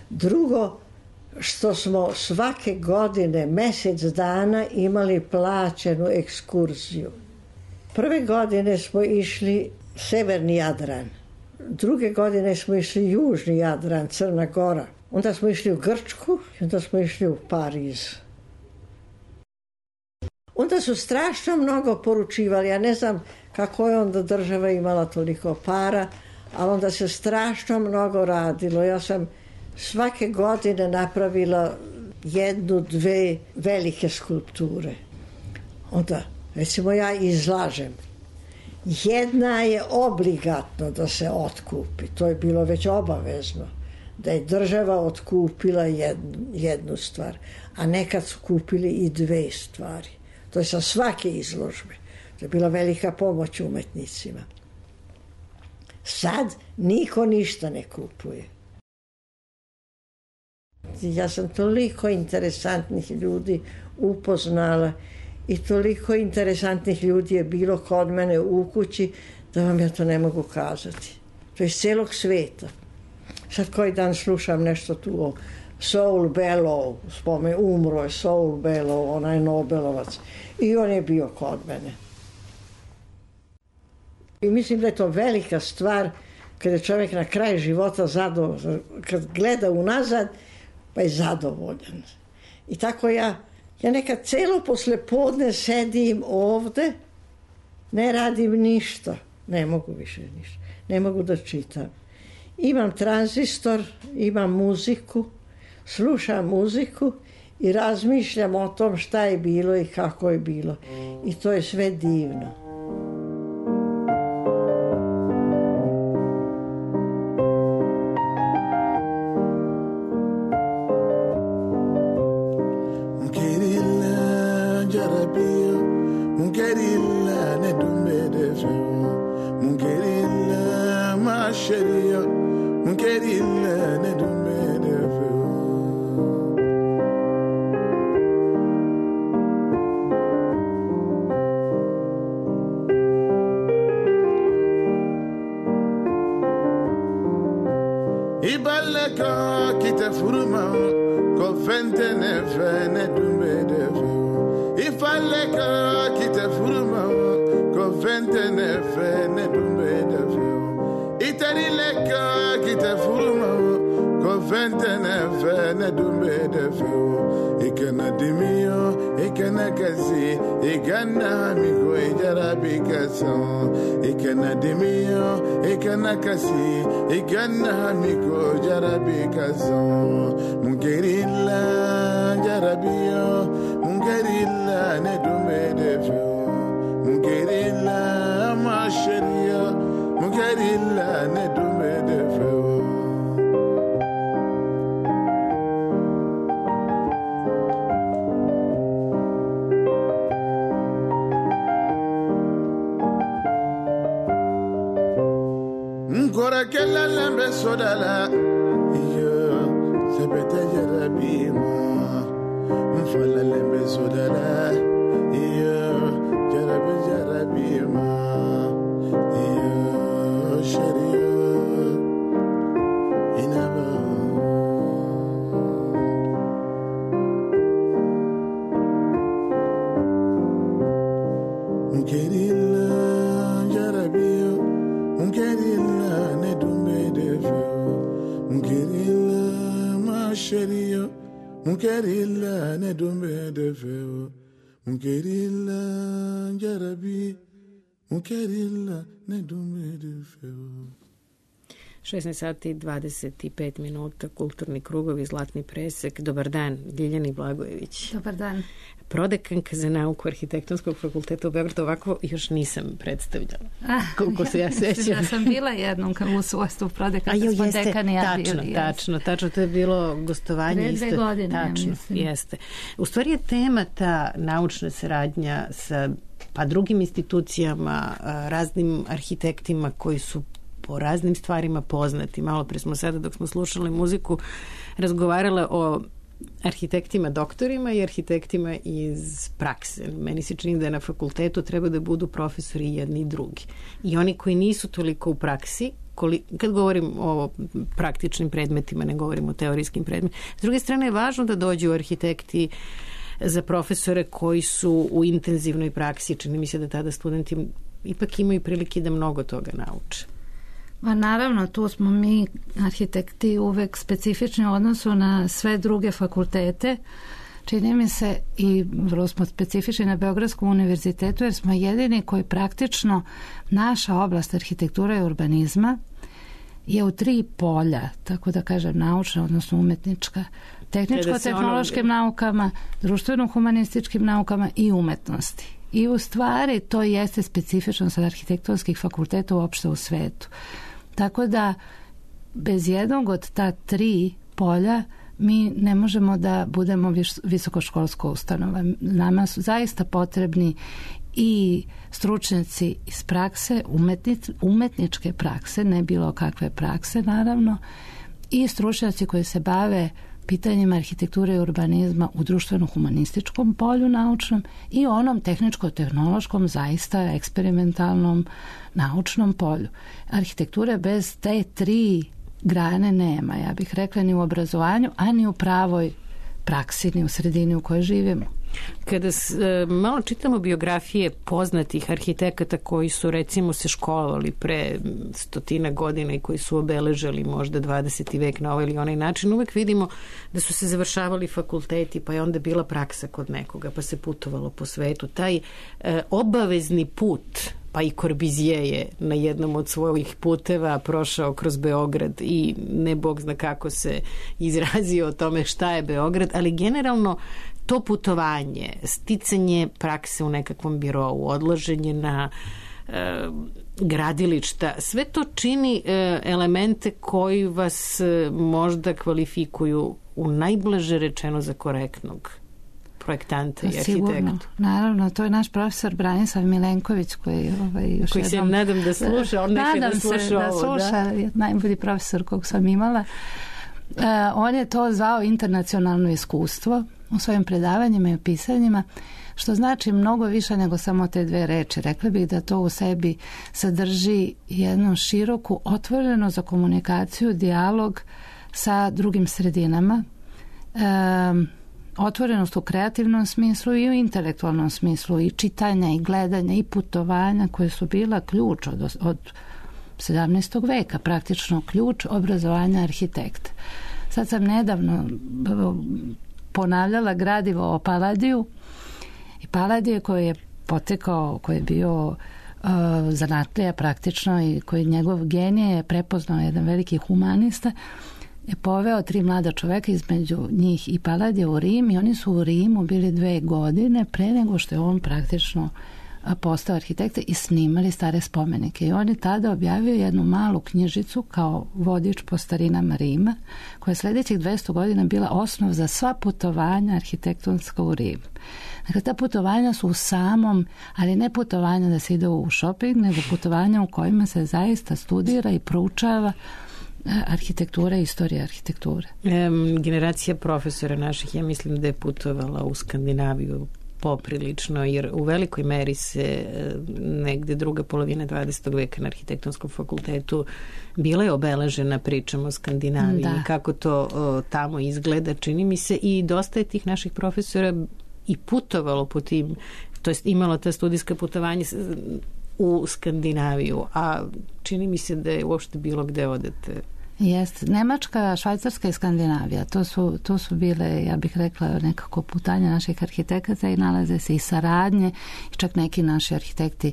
Drugo, što smo svake godine, mesec dana imali plaćenu ekskurziju. Prve godine smo išli Severni Jadran. Druge godine smo išli Južni Jadran, Crna Gora. Onda smo išli u Grčku i onda smo išli u Pariz. Onda su strašno mnogo poručivali. Ja ne znam kako je onda država imala toliko para, ali onda se strašno mnogo radilo. Ja sam svake godine napravila 1-2 velike skulpture. Onda, recimo ja izlažem. Jedna je obligatno da se otkupi, to je bilo već obavezno, da je država otkupila jednu stvar, a nekad su kupili i 2 stvari. To je sa svake izložbe. To je bila velika pomoć umetnicima. Sad niko ništa ne kupuje. Ja sam toliko interesantnih ljudi upoznala i toliko interesantnih ljudi je bilo kod mene u kući da vam ja to ne mogu kazati. To je iz celog sveta. Sad koji dan slušam nešto tu o Saul Bellow, umro je Saul Bellow, onaj Nobelovac, i on je bio kod mene. I mislim da je to velika stvar kada je čovjek na kraju života zadovoljan, kad gleda unazad, pa je zadovoljan. I tako ja nekad celo poslepodne sedim ovde, ne radim ništa, ne mogu više ništa, ne mogu da čitam. Imam tranzistor, imam muziku, slušam muziku i razmišljam o tom šta je bilo i kako je bilo. I to je sve divno. Munkerilla ne dumbe de feo, munkerilla jarabi, munkerilla ne dumbe de feo. 16 sati i 25 minuta, kulturni krugovi, Zlatni presek. Dobar dan, Ljiljani Blagojević. Dobar dan. Prodekanka za nauku Arhitektonskog fakulteta u Beogradu, ovako još nisam predstavljala. Koliko se ja sećam. Da sam bila jednom u svojstvu prodekanka, smo dekani ja bili. Tačno, to je bilo gostovanje. 2 godine, tačno, mislim. Jeste. U stvari je tema ta naučna saradnja sa drugim institucijama, raznim arhitektima koji su po raznim stvarima poznati. Malo pre smo sada, dok smo slušali muziku, razgovarale o arhitektima doktorima i arhitektima iz prakse. Meni se čini da na fakultetu treba da budu profesori jedni i drugi. I oni koji nisu toliko u praksi, kad govorim o praktičnim predmetima, ne govorim o teorijskim predmetima. S druge strane je važno da dođu arhitekti za profesore koji su u intenzivnoj praksi. Čini mi se da tada studenti ipak imaju prilike da mnogo toga nauče. Naravno, tu smo mi arhitekti uvek specifični u odnosu na sve druge fakultete. Čini mi se i vrlo smo specifični na Beogradskom univerzitetu jer smo jedini koji praktično naša oblast arhitektura i urbanizma je u 3 polja, tako da kažem naučna, odnosno umetnička, tehničko-tehnološkim naukama, društveno-humanističkim naukama i umetnosti. I u stvari to jeste specifično sa arhitektonskih fakulteta uopšte u svetu. Tako da bez jednog od ta 3 polja mi ne možemo da budemo visokoškolska ustanova. Nama su zaista potrebni i stručnjaci iz prakse, umetničke prakse, ne bilo kakve prakse naravno, i stručnjaci koji se bave pitanjima arhitekture i urbanizma u društveno-humanističkom polju naučnom i onom tehničko-tehnološkom, zaista eksperimentalnom naučnom polju. Arhitekture bez te tri grane nema, ja bih rekla, ni u obrazovanju, a ni u pravoj praksi, ni u sredini u kojoj živimo. Kada malo čitamo biografije poznatih arhitekata koji su recimo se školovali pre 100 godina i koji su obeležili možda 20. vek na ovaj ili onaj način, uvek vidimo da su se završavali fakulteti, pa je onda bila praksa kod nekoga, pa se putovalo po svetu. Taj obavezni put, pa i Korbizije je na jednom od svojih puteva prošao kroz Beograd i ne bog zna kako se izrazio o tome šta je Beograd, ali generalno to putovanje, sticanje prakse u nekakvom birovu, odlaženje na gradilišta, sve to čini elemente koji vas možda kvalifikuju u najblaže rečeno za korektnog projektanta i arhitektu. Sigurno, naravno, to je naš profesor Branislav Milenković koji još koji se nadam da sluša, on neće da sluša ovo. Da, najbolji profesor kog sam imala. On je to zvao internacionalno iskustvo u svojim predavanjima i pisanjima, što znači mnogo više nego samo te dve reči. Rekla bih da to u sebi sadrži jednu široku otvorenost za komunikaciju, dijalog sa drugim sredinama, otvorenost u kreativnom smislu i u intelektualnom smislu, i čitanja i gledanja i putovanja koje su bila ključ od 17. veka, praktično ključ obrazovanja arhitekta. Sad sam nedavno ponavljala gradivo o Paladiju i Paladije koji je potekao, koji je bio zanatlija praktično i koji njegov genije je prepoznao jedan veliki humanista, je poveo 3 mlada čoveka, između njih i Paladija, u Rim, i oni su u Rimu bili 2 godine pre nego što je on praktično postao arhitekta i snimali stare spomenike. I on je tada objavio jednu malu knjižicu kao vodič po starinama Rima, koja je sljedećih 200 godina bila osnov za sva putovanja arhitektonska u Rim. Dakle, ta putovanja su u samom, ali ne putovanja da se ide u shopping, nego putovanja u kojima se zaista studira i proučava arhitektura i istorija arhitekture. Generacija profesora naših, ja mislim da je putovala u Skandinaviju poprilično, jer u velikoj meri se negde druga polovina 20. veka na arhitektonskom fakultetu bila je obeležena pričom o Skandinaviji, kako to tamo izgleda, čini mi se, i dosta je tih naših profesora i putovalo po tim, to jest imalo ta studijska putovanja u Skandinaviju, a čini mi se da je uopšte bilo gde odete. Jeste. Nemačka, Švajcarska i Skandinavija, to su bile, ja bih rekla, nekako putanja naših arhitekata i nalaze se i saradnje, i čak neki naši arhitekti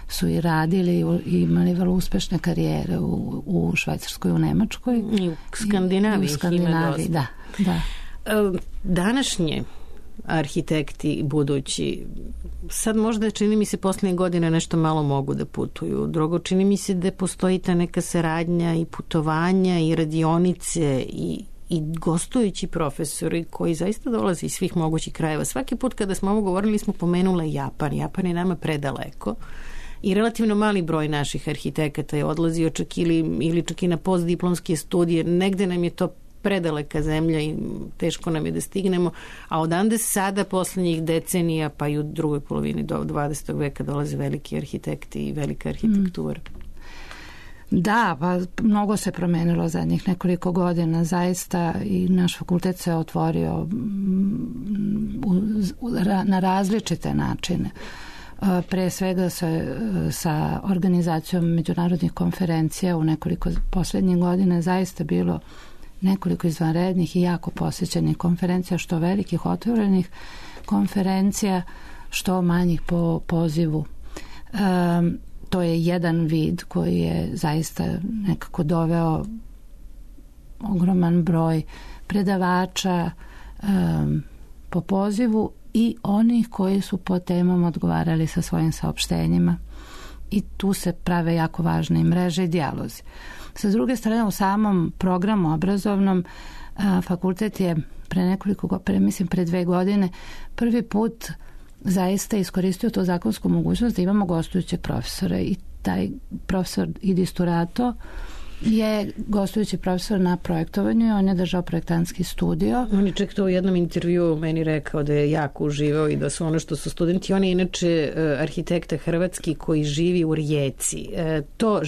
su i radili i imali vrlo uspešne karijere u Švajcarskoj i u Nemačkoj. I u Skandinaviji. I u Skandinaviji, da. Današnje arhitekti budući, sad možda čini mi se posljednje godine nešto malo mogu da putuju. Drugo, čini mi se da postoji ta neka saradnja i putovanja i radionice i gostujući profesori koji zaista dolaze iz svih mogućih krajeva. Svaki put kada smo ovo govorili smo pomenule Japan. Japan je nama predaleko i relativno mali broj naših arhitekata je odlazio čak ili čak i na postdiplomske studije. Negde nam je to predaleka zemlja i teško nam je da stignemo, a odande sada poslednjih decenija pa i u drugoj polovini do 20. veka dolaze veliki arhitekti i velika arhitektura. Da, pa mnogo se promenilo zadnjih nekoliko godina, zaista, i naš fakultet se otvorio na različite načine. Pre svega sa organizacijom međunarodnih konferencija u nekoliko poslednjih godina zaista bilo nekoliko izvanrednih i jako posjećenih konferencija, što velikih otvorenih konferencija, što manjih po pozivu. To je jedan vid koji je zaista nekako doveo ogroman broj predavača po pozivu i onih koji su po temama odgovarali sa svojim saopštenjima. I tu se prave jako važne i mreže i dijalozi. Sa druge strane, u samom programu obrazovnom fakultet je pre 2 godine prvi put zaista iskoristio tu zakonsku mogućnost da imamo gostujućeg profesora, i taj profesor Idis Turato je gostujući profesor na projektovanju i on je držao projektantski studio. On je čak to u jednom intervjuu meni rekao da je jako uživao i da su ono što su studenti. On je inače arhitekta hrvatski koji živi u Rijeci. To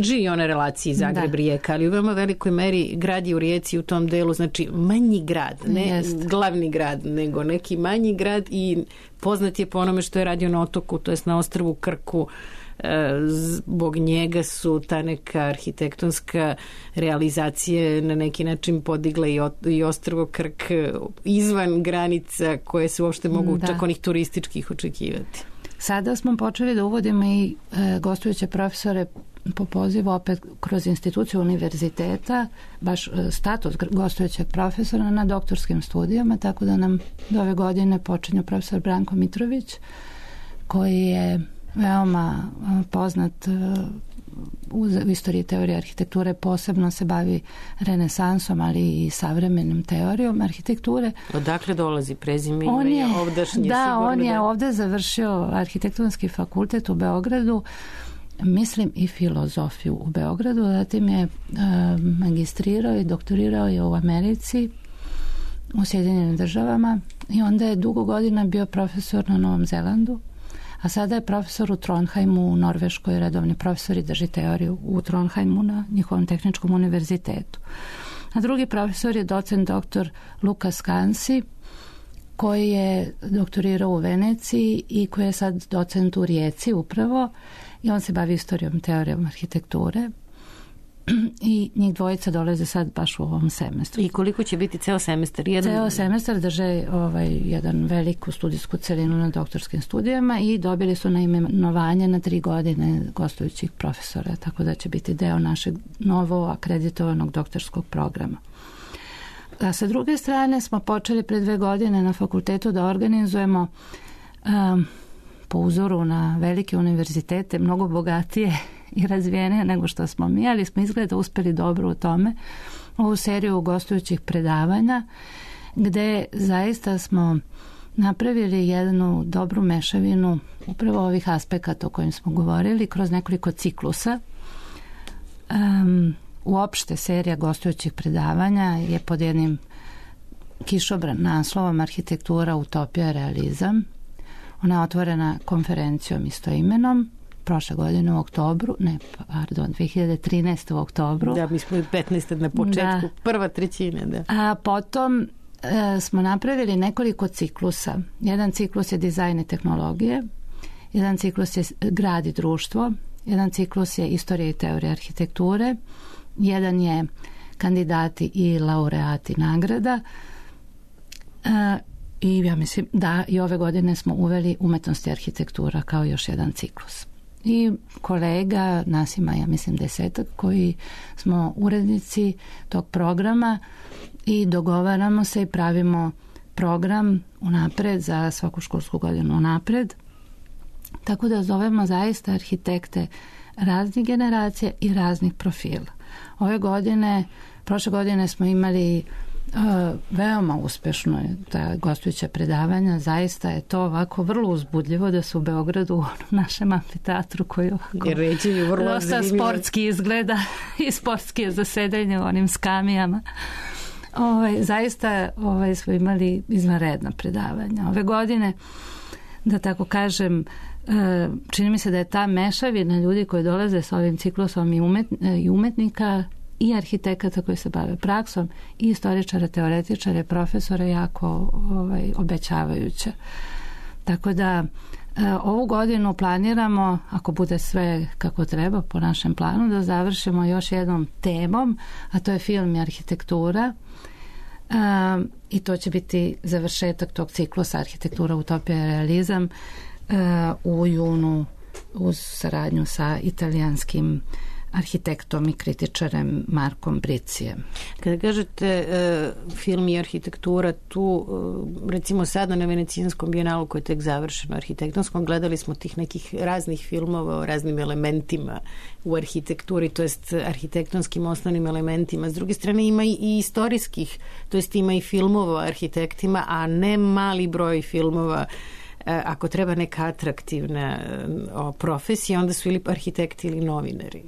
živi ona relaciji Zagreb-Rijeka, ali u veoma velikoj meri grad je u Rijeci u tom delu, znači manji grad, ne glavni grad, nego neki manji grad i poznat je po onome što je radio na otoku, to jest na ostrvu Krku. Zbog njega su ta neka arhitektonska realizacije na neki način podigla i ostrvo Krk izvan granica koje se uopšte mogu čak onih turističkih očekivati. Sada smo počeli da uvodimo i gostujuće profesore po pozivu opet kroz instituciju univerziteta, baš status gostujućeg profesora na doktorskim studijama, tako da nam do ove godine počinje profesor Branko Mitrović, koji je veoma poznat u istoriji teorije arhitekture, posebno se bavi renesansom, ali i savremenim teorijom arhitekture. Odakle dolazi prezime? On je ovdašnji. Da, on je ovde završio arhitektonski fakultet u Beogradu, mislim i filozofiju u Beogradu, zatim je magistrirao i doktorirao je u Americi, u Sjedinjenim državama i onda je dugo godina bio profesor na Novom Zelandu, a sada je profesor u Trondheimu u Norveškoj, redovni profesor i drži teoriju u Trondheimu na njihovom tehničkom univerzitetu. A drugi profesor je docent doktor Lukas Kansi, koji je doktorirao u Veneciji i koji je sad docent u Rijeci upravo i on se bavi istorijom teorijom arhitekture i njih dvojica dolaze sad baš u ovom semestru. I koliko će biti ceo semestar? Ceo semestar drže jedan veliku studijsku celinu na doktorskim studijama i dobili su naimenovanje na 3 godine gostujućih profesora, tako da će biti deo našeg novo akreditovanog doktorskog programa. A sa druge strane smo počeli pre 2 godine na fakultetu da organizujemo po uzoru na velike univerzitete, mnogo bogatije i razvijenije nego što smo mi, ali smo izgleda uspeli dobro u tome, ovu seriju gostujućih predavanja, gde zaista smo napravili jednu dobru mešavinu upravo ovih aspekata o kojim smo govorili kroz nekoliko ciklusa. Uopšte serija gostujućih predavanja je pod jednim kišobran naslovom Arhitektura, utopija, realizam. Ona je otvorena konferencijom istoimenom prošle godine u oktobru, 2013. u oktobru. Da, mi smo i 15. na početku, prva trećina, da. A potom smo napravili nekoliko ciklusa. Jedan ciklus je dizajn i tehnologije, jedan ciklus je grad i društvo, jedan ciklus je istorija i teorija arhitekture, jedan je kandidati i laureati nagrada i ja mislim da i ove godine smo uveli umetnost i arhitektura kao još jedan ciklus. I kolega, nas ima, ja mislim 10 koji smo urednici tog programa i dogovaramo se i pravimo program unapred za svaku školsku godinu unapred. Tako da zovemo zaista arhitekte raznih generacija i raznih profila. Prošle godine smo imali veoma uspešno ta gostujuća predavanja, zaista je to ovako vrlo uzbudljivo da su u Beogradu u našem amfiteatru koji dosta sportski izgleda i sportski je zasedanje u onim skamijama. Zaista smo imali izvanredna predavanja. Ove godine, da tako kažem, čini mi se da je ta mešavina ljudi koji dolaze sa ovim ciklusom i umetnika i arhitekata koji se bave praksom i istoričara, teoretičara, profesora jako obećavajuća. Tako da ovu godinu planiramo, ako bude sve kako treba po našem planu, da završimo još jednom temom, a to je film i arhitektura. I to će biti završetak tog ciklusa Arhitektura, utopija i realizam u junu uz saradnju sa italijanskim arhitektom i kritičarem Markom Bricijem. Kada kažete film i arhitektura, tu recimo sada na Venecijanskom bijenalu koji je tek završeno arhitektonskom, gledali smo tih nekih raznih filmova o raznim elementima u arhitekturi, to jest arhitektonskim osnovnim elementima. S druge strane ima i istorijskih, to jest ima i filmova o arhitektima, a ne mali broj filmova ako treba neka atraktivna profesija, onda su ili arhitekti ili novinari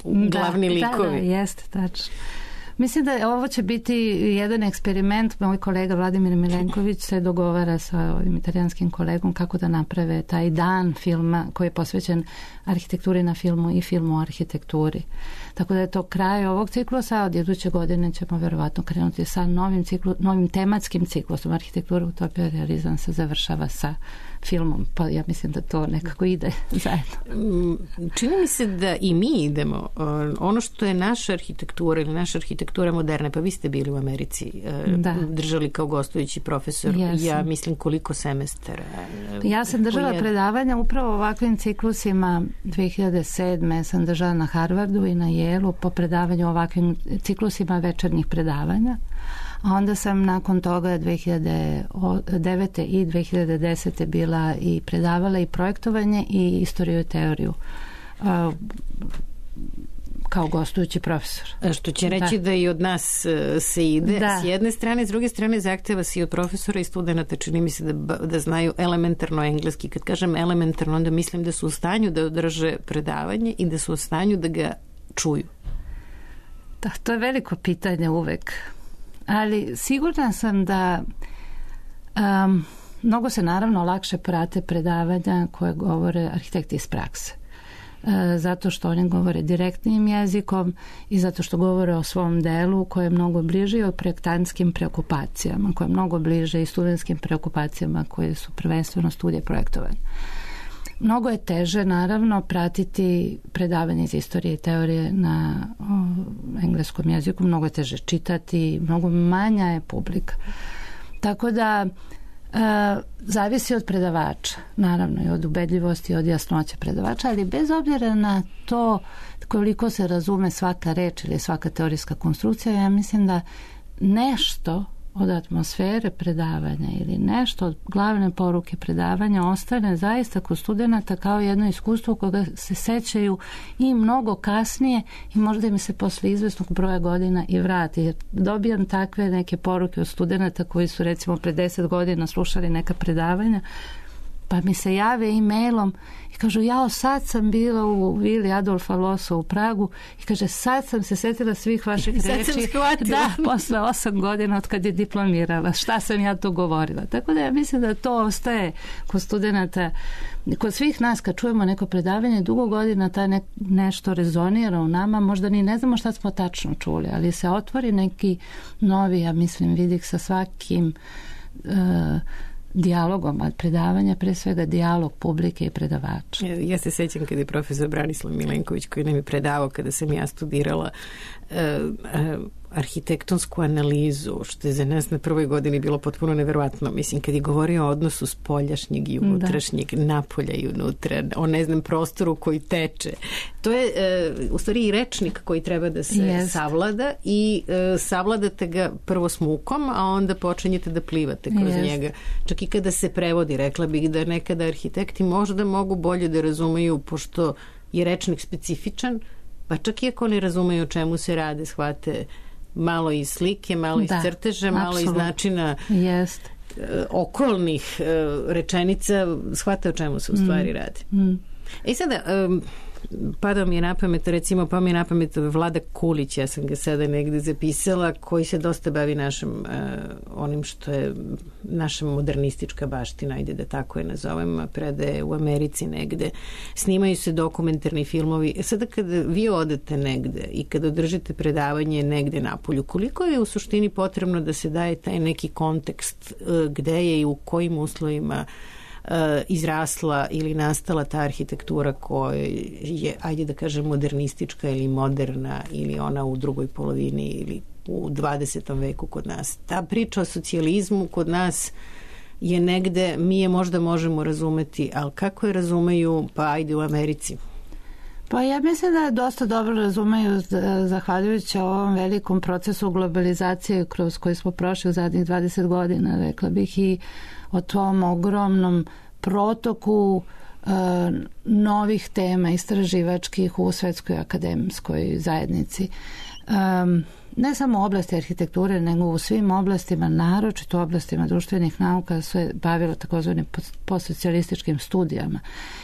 glavni likovi. Da, jeste, tačno. Mislim da ovo će biti jedan eksperiment. Moj kolega Vladimir Milenković se dogovara sa ovim italijanskim kolegom kako da naprave taj dan filma koji je posvećen arhitekturi na filmu i filmu o arhitekturi. Tako da je to kraj ovog ciklusa, od iduće godine ćemo verovatno krenuti sa novim tematskim ciklusom. Arhitektura, utopija, realizam se završava sa filmom, pa ja mislim da to nekako ide zajedno. Čini mi se da i mi idemo. Ono što je naša arhitektura ili naša arhitektura moderna, pa vi ste bili u Americi, držali kao gostujući profesor, ja mislim koliko semestara. Ja sam držala predavanja upravo ovakvim ciklusima. 2007. sam držala na Harvardu i na Yale-u po predavanju ovakvim ciklusima večernjih predavanja. A onda sam nakon toga 2009. i 2010. bila i predavala i projektovanje i istoriju i teoriju kao gostujući profesor. Što će reći da i od nas se ide s jedne strane, s druge strane zahteva se i od profesora i studenta, čini mi se da znaju elementarno engleski. Kad kažem elementarno, onda mislim da su u stanju da održe predavanje i da su u stanju da ga čuju. Da, to je veliko pitanje uvek. Ali sigurna sam da mnogo se naravno lakše prate predavanja koje govore arhitekti iz prakse. Zato što oni govore direktnim jezikom i zato što govore o svom delu koje je mnogo bliže o projektantskim preokupacijama, koje je mnogo bliže i studentskim preokupacijama koje su prvenstveno studije projektovanja. Mnogo je teže, naravno, pratiti predavanje iz istorije i teorije na engleskom jeziku, mnogo je teže čitati, mnogo manja je publika. Tako da zavisi od predavača, naravno i od ubedljivosti i od jasnoće predavača, ali bez obzira na to koliko se razume svaka reč ili svaka teorijska konstrukcija, ja mislim da nešto od atmosfere predavanja ili nešto od glavne poruke predavanja ostane zaista kod studenata kao jedno iskustvo koga se sećaju i mnogo kasnije i možda im se posle izvesnog broja godina i vrati. Jer dobijam takve neke poruke od studenata koji su recimo pre 10 godina slušali neka predavanja, pa mi se jave e-mailom i kažu, sad sam bila u vili Adolfa Losa u Pragu i kaže, sad sam se setila svih vaših reči. Da, posle 8 godina od kad je diplomirala. Šta sam ja to govorila? Tako da ja mislim da to ostaje kod studenata, kod svih nas kad čujemo neko predavanje, dugo godina nešto rezonira u nama, možda ni ne znamo šta smo tačno čuli, ali se otvori neki novi, ja mislim, vidik sa svakim dijalogom, a predavanja pre svega dijalog publike i predavača. Ja se sećam kada je profesor Branislav Milenković koji nam je predavao kada sam ja studirala arhitektonsku analizu, što je za nas na prvoj godini bilo potpuno neverovatno. Mislim, kad je govorio o odnosu spoljašnjeg i unutrašnjeg, napolja i unutra, o prostoru koji teče. To je u stvari i rečnik koji treba da se savlada i savladate ga prvo smukom, a onda počinjete da plivate kroz njega. Čak i kada se prevodi, rekla bih da nekada arhitekti možda mogu bolje da razumeju, pošto je rečnik specifičan, pa čak i ako ne razumeju o čemu se rade, shvate malo iz slike, malo iz crteža, malo iz načina okolnih rečenica, shvate o čemu se u stvari radi. I sada padao mi je na pamet, recimo, pa mi je na pamet Vlada Kulić, ja sam ga sada negde zapisala, koji se dosta bavi našim, onim što je naša modernistička baština, ajde da tako je nazovem, predaje u Americi negde. Snimaju se dokumentarni filmovi. Sada kada vi odete negde i kada održite predavanje negde napolju, koliko je u suštini potrebno da se daje taj neki kontekst gde je i u kojim uslovima izrasla ili nastala ta arhitektura koja je, ajde da kažem, modernistička ili moderna ili ona u drugoj polovini ili u 20. veku kod nas. Ta priča o socijalizmu kod nas je negde, mi je možda možemo razumeti, ali kako je razumeju, pa ajde u Americi? Pa ja mislim da dosta dobro razumeju zahvaljujući ovom velikom procesu globalizacije kroz koji smo prošli u zadnjih 20 godina, rekla bih, i o tom ogromnom protoku novih tema istraživačkih u svetskoj akademskoj zajednici. ne samo u oblasti arhitekture, nego u svim oblastima, naročito u oblastima društvenih nauka, sve bavilo takozvanim postsocijalističkim studijama.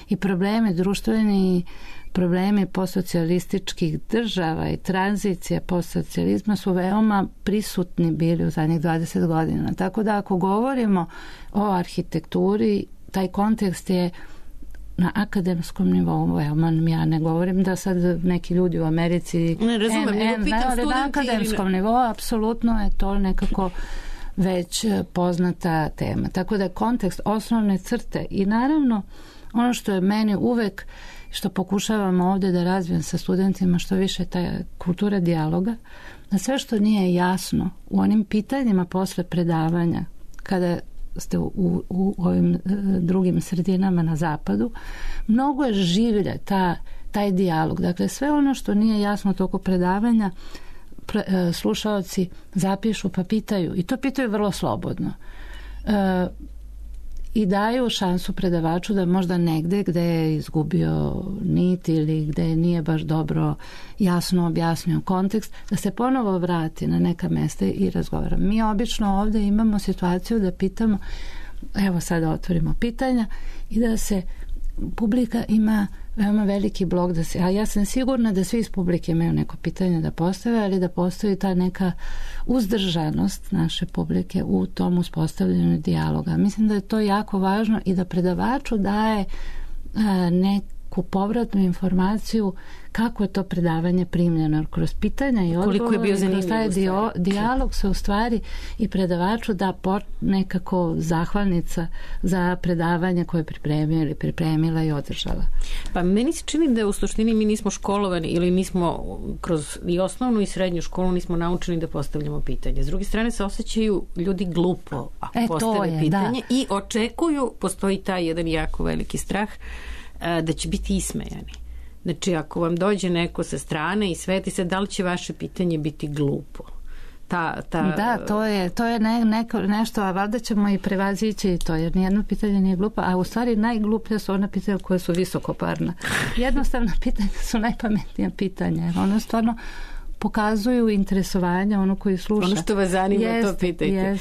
I problemi društveni, problemi postsocijalističkih država i tranzicija postsocijalizma su veoma prisutni bili u zadnjih 20 godina. Tako da ako govorimo o arhitekturi, taj kontekst je na akademskom nivou. Ja ne govorim da sad neki ljudi u Americi ne razumem, ali na akademskom nivou apsolutno je to nekako već poznata tema. Tako da je kontekst osnovne crte i naravno ono što je meni uvek, što pokušavam ovde da razvijem sa studentima što više ta kultura dijaloga, da sve što nije jasno u onim pitanjima posle predavanja kada ste u ovim drugim sredinama na zapadu, mnogo je življe taj dijalog. Dakle, sve ono što nije jasno toku predavanja slušaoci zapišu pa pitaju i to pitaju vrlo slobodno. I daju šansu predavaču da možda negde gde je izgubio nit ili gde nije baš dobro jasno objasnio kontekst, da se ponovo vrati na neka mesta i razgovara. Mi obično ovde imamo situaciju da pitamo, evo sada otvorimo pitanja i da se publika ima veoma veliki blok da se, a ja sam sigurna da svi iz publike imaju neko pitanje da postave, ali da postoji ta neka uzdržanost naše publike u tom uspostavljanju dijaloga. Mislim da je to jako važno i da predavaču daje neku povratnu informaciju kako je to predavanje primljeno. Jer kroz pitanja i odgovore, kroz taj dijalog se u stvari i predavaču da nekako zahvalnica za predavanje koje je pripremio ili pripremila i održala. Pa meni se čini da u suštini mi nismo školovani ili nismo kroz i osnovnu i srednju školu nismo naučeni da postavljamo pitanje. S druge strane se osjećaju ljudi glupo ako postave pitanje i očekuju, postoji taj jedan jako veliki strah da će biti ismejani. Znači, ako vam dođe neko sa strane i sveti se, da li će vaše pitanje biti glupo? Da, to je nešto, a valjda ćemo i prevazići to, jer nijedno pitanje nije glupo, a u stvari najgluplja su ona pitanja koje su visokoparna. Jednostavna pitanja su najpametnija pitanja, jer ono stvarno pokazuju interesovanje ono koji sluša. Ono što vas zanima, to pitajte.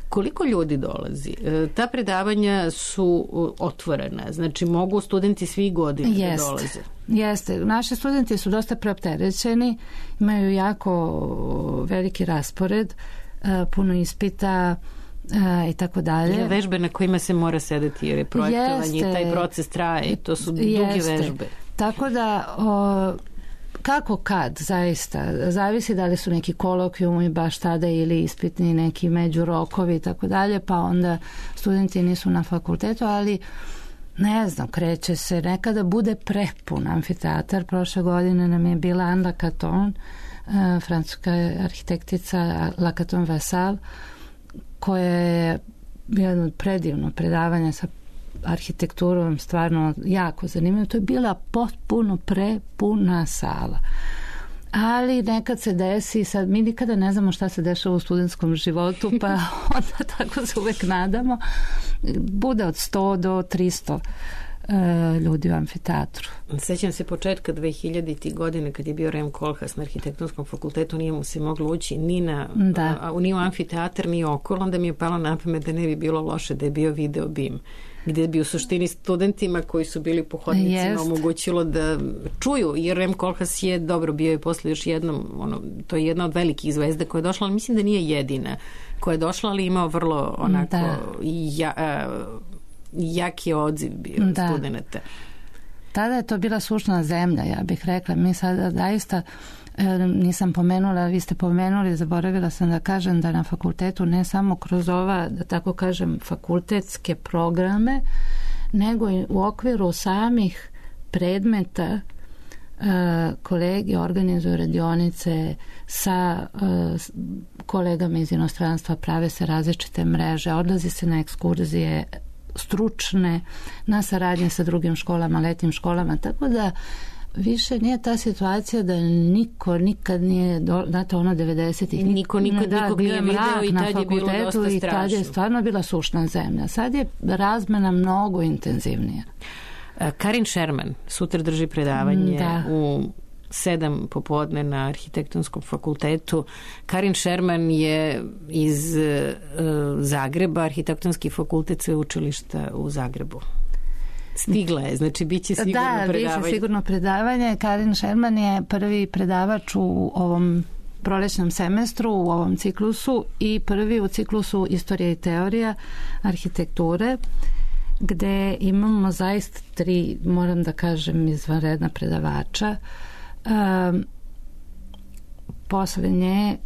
Koliko ljudi dolazi? Ta predavanja su otvorena, znači mogu studenti svih godina da dolaze. Jeste. Naši studenti su dosta preopterećeni, imaju jako veliki raspored, puno ispita i tako dalje. Vežbe na kojima se mora sedeti jer je projektovanje i taj proces traje, to su duge vežbe. Tako da kako kad, zaista. Zavisi da li su neki kolokvijumi baš tada ili ispitni neki međurokovi i tako dalje, pa onda studenti nisu na fakultetu, ali ne znam, kreće se. Nekada bude prepun amfiteatar. Prošle godine nam je bila Anne Lacaton, francuska arhitektica Lacaton Vassal, koja je jedno predivno predavanje sa arhitekturom, stvarno jako zanimljivo. To je bila potpuno prepuna sala. Ali nekad se desi, sad mi nikada ne znamo šta se dešava u studentskom životu, pa onda tako se uvek nadamo. Bude od 100 do 300 ljudi u amfiteatru. Sećam se početka 2000. godine kad je bio Rem Koolhaas na arhitektonskom fakultetu, nije mu se moglo ući ni u amfiteatar, ni okolo, onda mi je palo na pamet da ne bi bilo loše da je bio video BIM, gdje bi u suštini studentima koji su bili po hodnicima omogućilo da čuju, jer Rem Koolhaas je dobro bio i posle još jednom, to je jedna od velikih zvezda koja je došla, ali mislim da nije jedina koja je došla, ali imao vrlo onako jaki odziv bio studenta. Tada je to bila sušna zemlja, ja bih rekla. Mi sada zaista nisam pomenula, vi ste pomenuli, zaboravila sam da kažem da na fakultetu ne samo kroz ova, da tako kažem, fakultetske programe, nego i u okviru samih predmeta kolegi organizuju radionice sa kolegama iz inostranstva, prave se različite mreže, odlazi se na ekskurzije stručne, na saradnje sa drugim školama, letnim školama, tako da više nije ta situacija da niko nikad nije, znate ono 90-ih, nikog nije video i tad je bilo dosta i tad je stvarno bila sušna zemlja. Sad je razmena mnogo intenzivnija. Karin Sherman sutra drži predavanje u 7 popodne na Arhitektonskom fakultetu. Karin Šerman je iz Zagreba, Arhitektonski fakultet sveučilišta u Zagrebu. Stigla je, znači bit će sigurno predavanje. Da, bit će sigurno predavanje. Karin Šerman je prvi predavač u ovom prolećnom semestru, u ovom ciklusu i prvi u ciklusu Istorija i teorija arhitekture, gde imamo zaista 3, moram da kažem, izvanredna predavača. Posle nje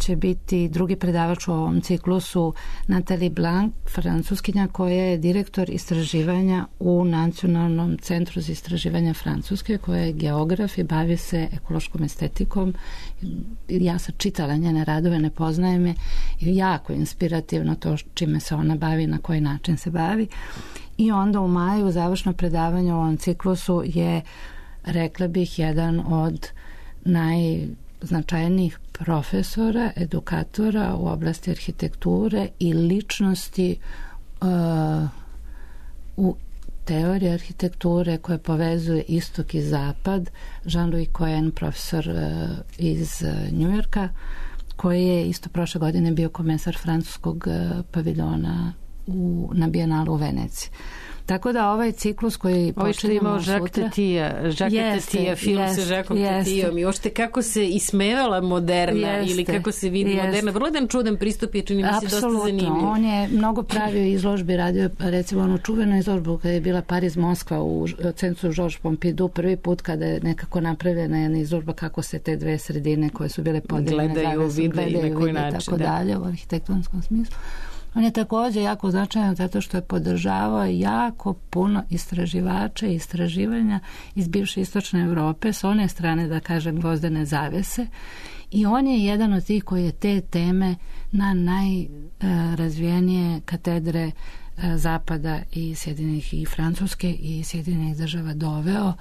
će biti drugi predavač u ovom ciklusu Nathalie Blanc, francuskinja, koja je direktor istraživanja u Nacionalnom centru za istraživanje Francuske, koja je geograf i bavi se ekološkom estetikom. Ja sam čitala njene radove, ne poznajem je, jako inspirativno to čime se ona bavi, na koji način se bavi. I onda u maju završno predavanje u ovom ciklusu je, rekla bih, jedan od najznačajnijih profesora, edukatora u oblasti arhitekture i ličnosti u teoriji arhitekture koje povezuje istok i zapad. Jean-Louis Cohen, profesor iz Njujorka, koji je isto prošle godine bio komesar francuskog paviljona na Bijenalu u Veneciji. Tako da ovaj ciklus koji počinjemo sutra... Jacques Tati, film sa Jacques Tatijom i ošte kako se ismevala moderna ili kako se vidi moderna. Vrlo jedan čudan pristup je, čini mi se, dosta zanimljiv. On je mnogo pravio izložbi, radio recimo onu čuvenu izložbu kada je bila Pariz-Moskva u centru Georges Pompidou, prvi put kada je nekako napravljena jedna izložba kako se te dve sredine koje su bile podeljene gledaju, vide i na koji način. Tako dalje, u arhitektonskom smislu. On je također jako značajan zato što je podržavao jako puno istraživača i istraživanja iz bivše istočne Evrope, s one strane, da kažem, gvozdene zavese, i on je jedan od tih koji je te teme na najrazvijenije katedre Zapada i Sjedinjenih i Francuske i Sjedinjenih država doveo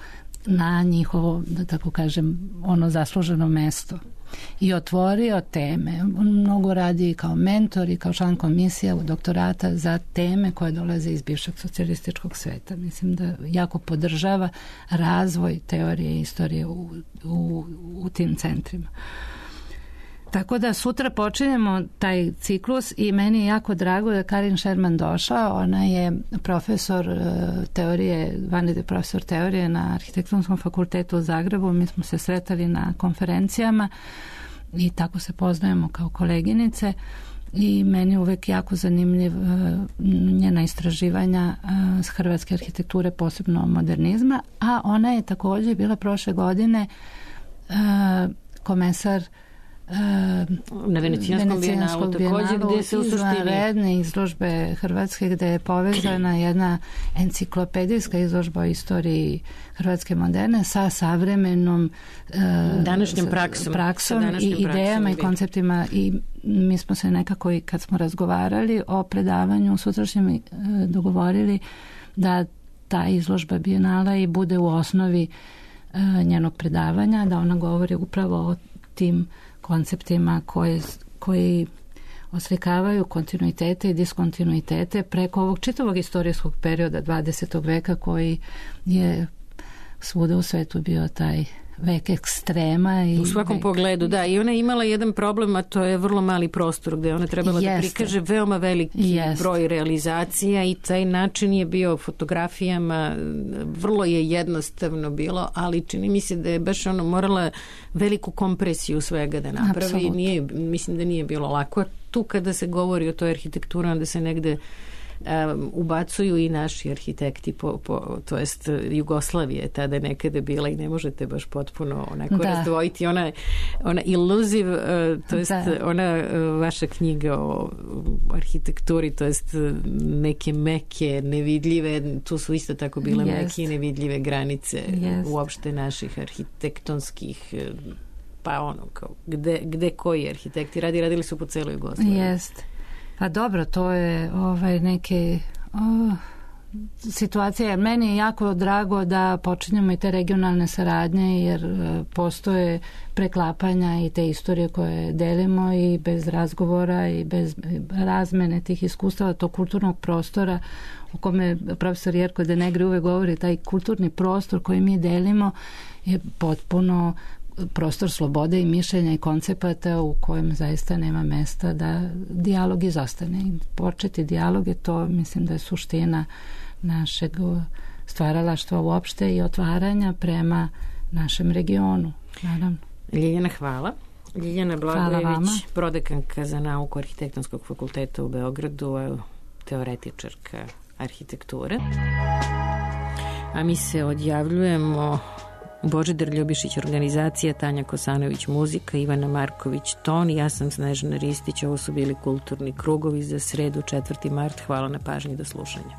na njihovo, da tako kažem, ono zasluženo mesto i otvorio teme. On mnogo radi kao mentor i kao član komisije u doktorata za teme koje dolaze iz bivšeg socijalističkog sveta. Mislim da jako podržava razvoj teorije i istorije u tim centrima. Tako da sutra počinjemo taj ciklus i meni je jako drago da Karin Šerman došla. Ona je profesor teorije, vanredni profesor teorije na Arhitektonskom fakultetu u Zagrebu. Mi smo se sretali na konferencijama i tako se poznajemo kao koleginice i meni je uvek jako zanimljiv njena istraživanja s hrvatske arhitekture, posebno modernizma, a ona je također bila prošle godine komesar na Venecijanskom bijenalu također, gdje se u suštini redne izložbe Hrvatske, gdje je povezana jedna enciklopedijska izložba o istoriji Hrvatske moderne sa savremenom današnjom praksom i idejama i konceptima, i mi smo se nekako, i kad smo razgovarali o predavanju sutrašnjem, dogovorili da ta izložba bijenala i bude u osnovi njenog predavanja, da ona govori upravo o tim konceptima koji oslikavaju kontinuitete i diskontinuitete preko ovog čitavog istorijskog perioda 20. veka koji je svuda u svetu bio taj vek ekstrema. U svakom pogledu, da. I ona je imala jedan problem, a to je vrlo mali prostor gdje ona trebala da prikaže veoma veliki broj realizacija i taj način je bio fotografijama, vrlo je jednostavno bilo, ali čini mi se da je baš ono morala veliku kompresiju svega da napravi. Mislim da nije bilo lako. Tu kada se govori o toj arhitekturi, onda se negde ubacuju i naši arhitekti, to jest Jugoslavije tada nekada bila i ne možete baš potpuno onako razdvojiti. Ona illuzive, to jest ona vaša knjiga o arhitekturi, to jest neke meke, nevidljive, tu su isto tako bile meke i nevidljive granice uopšte naših arhitektonskih, pa ono kao gde koji arhitekti radili su po celoj Jugoslaviji. Jeste. Pa dobro, to je neke situacija, jer meni je jako drago da počinjemo i te regionalne saradnje, jer postoje preklapanja i te istorije koje delimo i bez razgovora i bez razmene tih iskustava, tog kulturnog prostora o kome profesor Jerko de Negri uvek govori, taj kulturni prostor koji mi delimo je potpuno prostor slobode i mišljenja i koncepata u kojem zaista nema mesta da dijalog izostane. I početi dijalog je to, mislim da je suština našeg stvaralaštva uopšte i otvaranja prema našem regionu. Naravno. Ljiljana, hvala. Ljiljana Blagojević, prodekanka za nauku Arhitektonskog fakulteta u Beogradu, teoretičarka arhitekture. A mi se odjavljujemo. Božidar Ljubišić organizacija, Tanja Kosanović muzika, Ivana Marković ton, ja sam Snežana Ristić, ovo su bili kulturni krugovi za sredu 4. mart. Hvala na pažnji, do slušanja.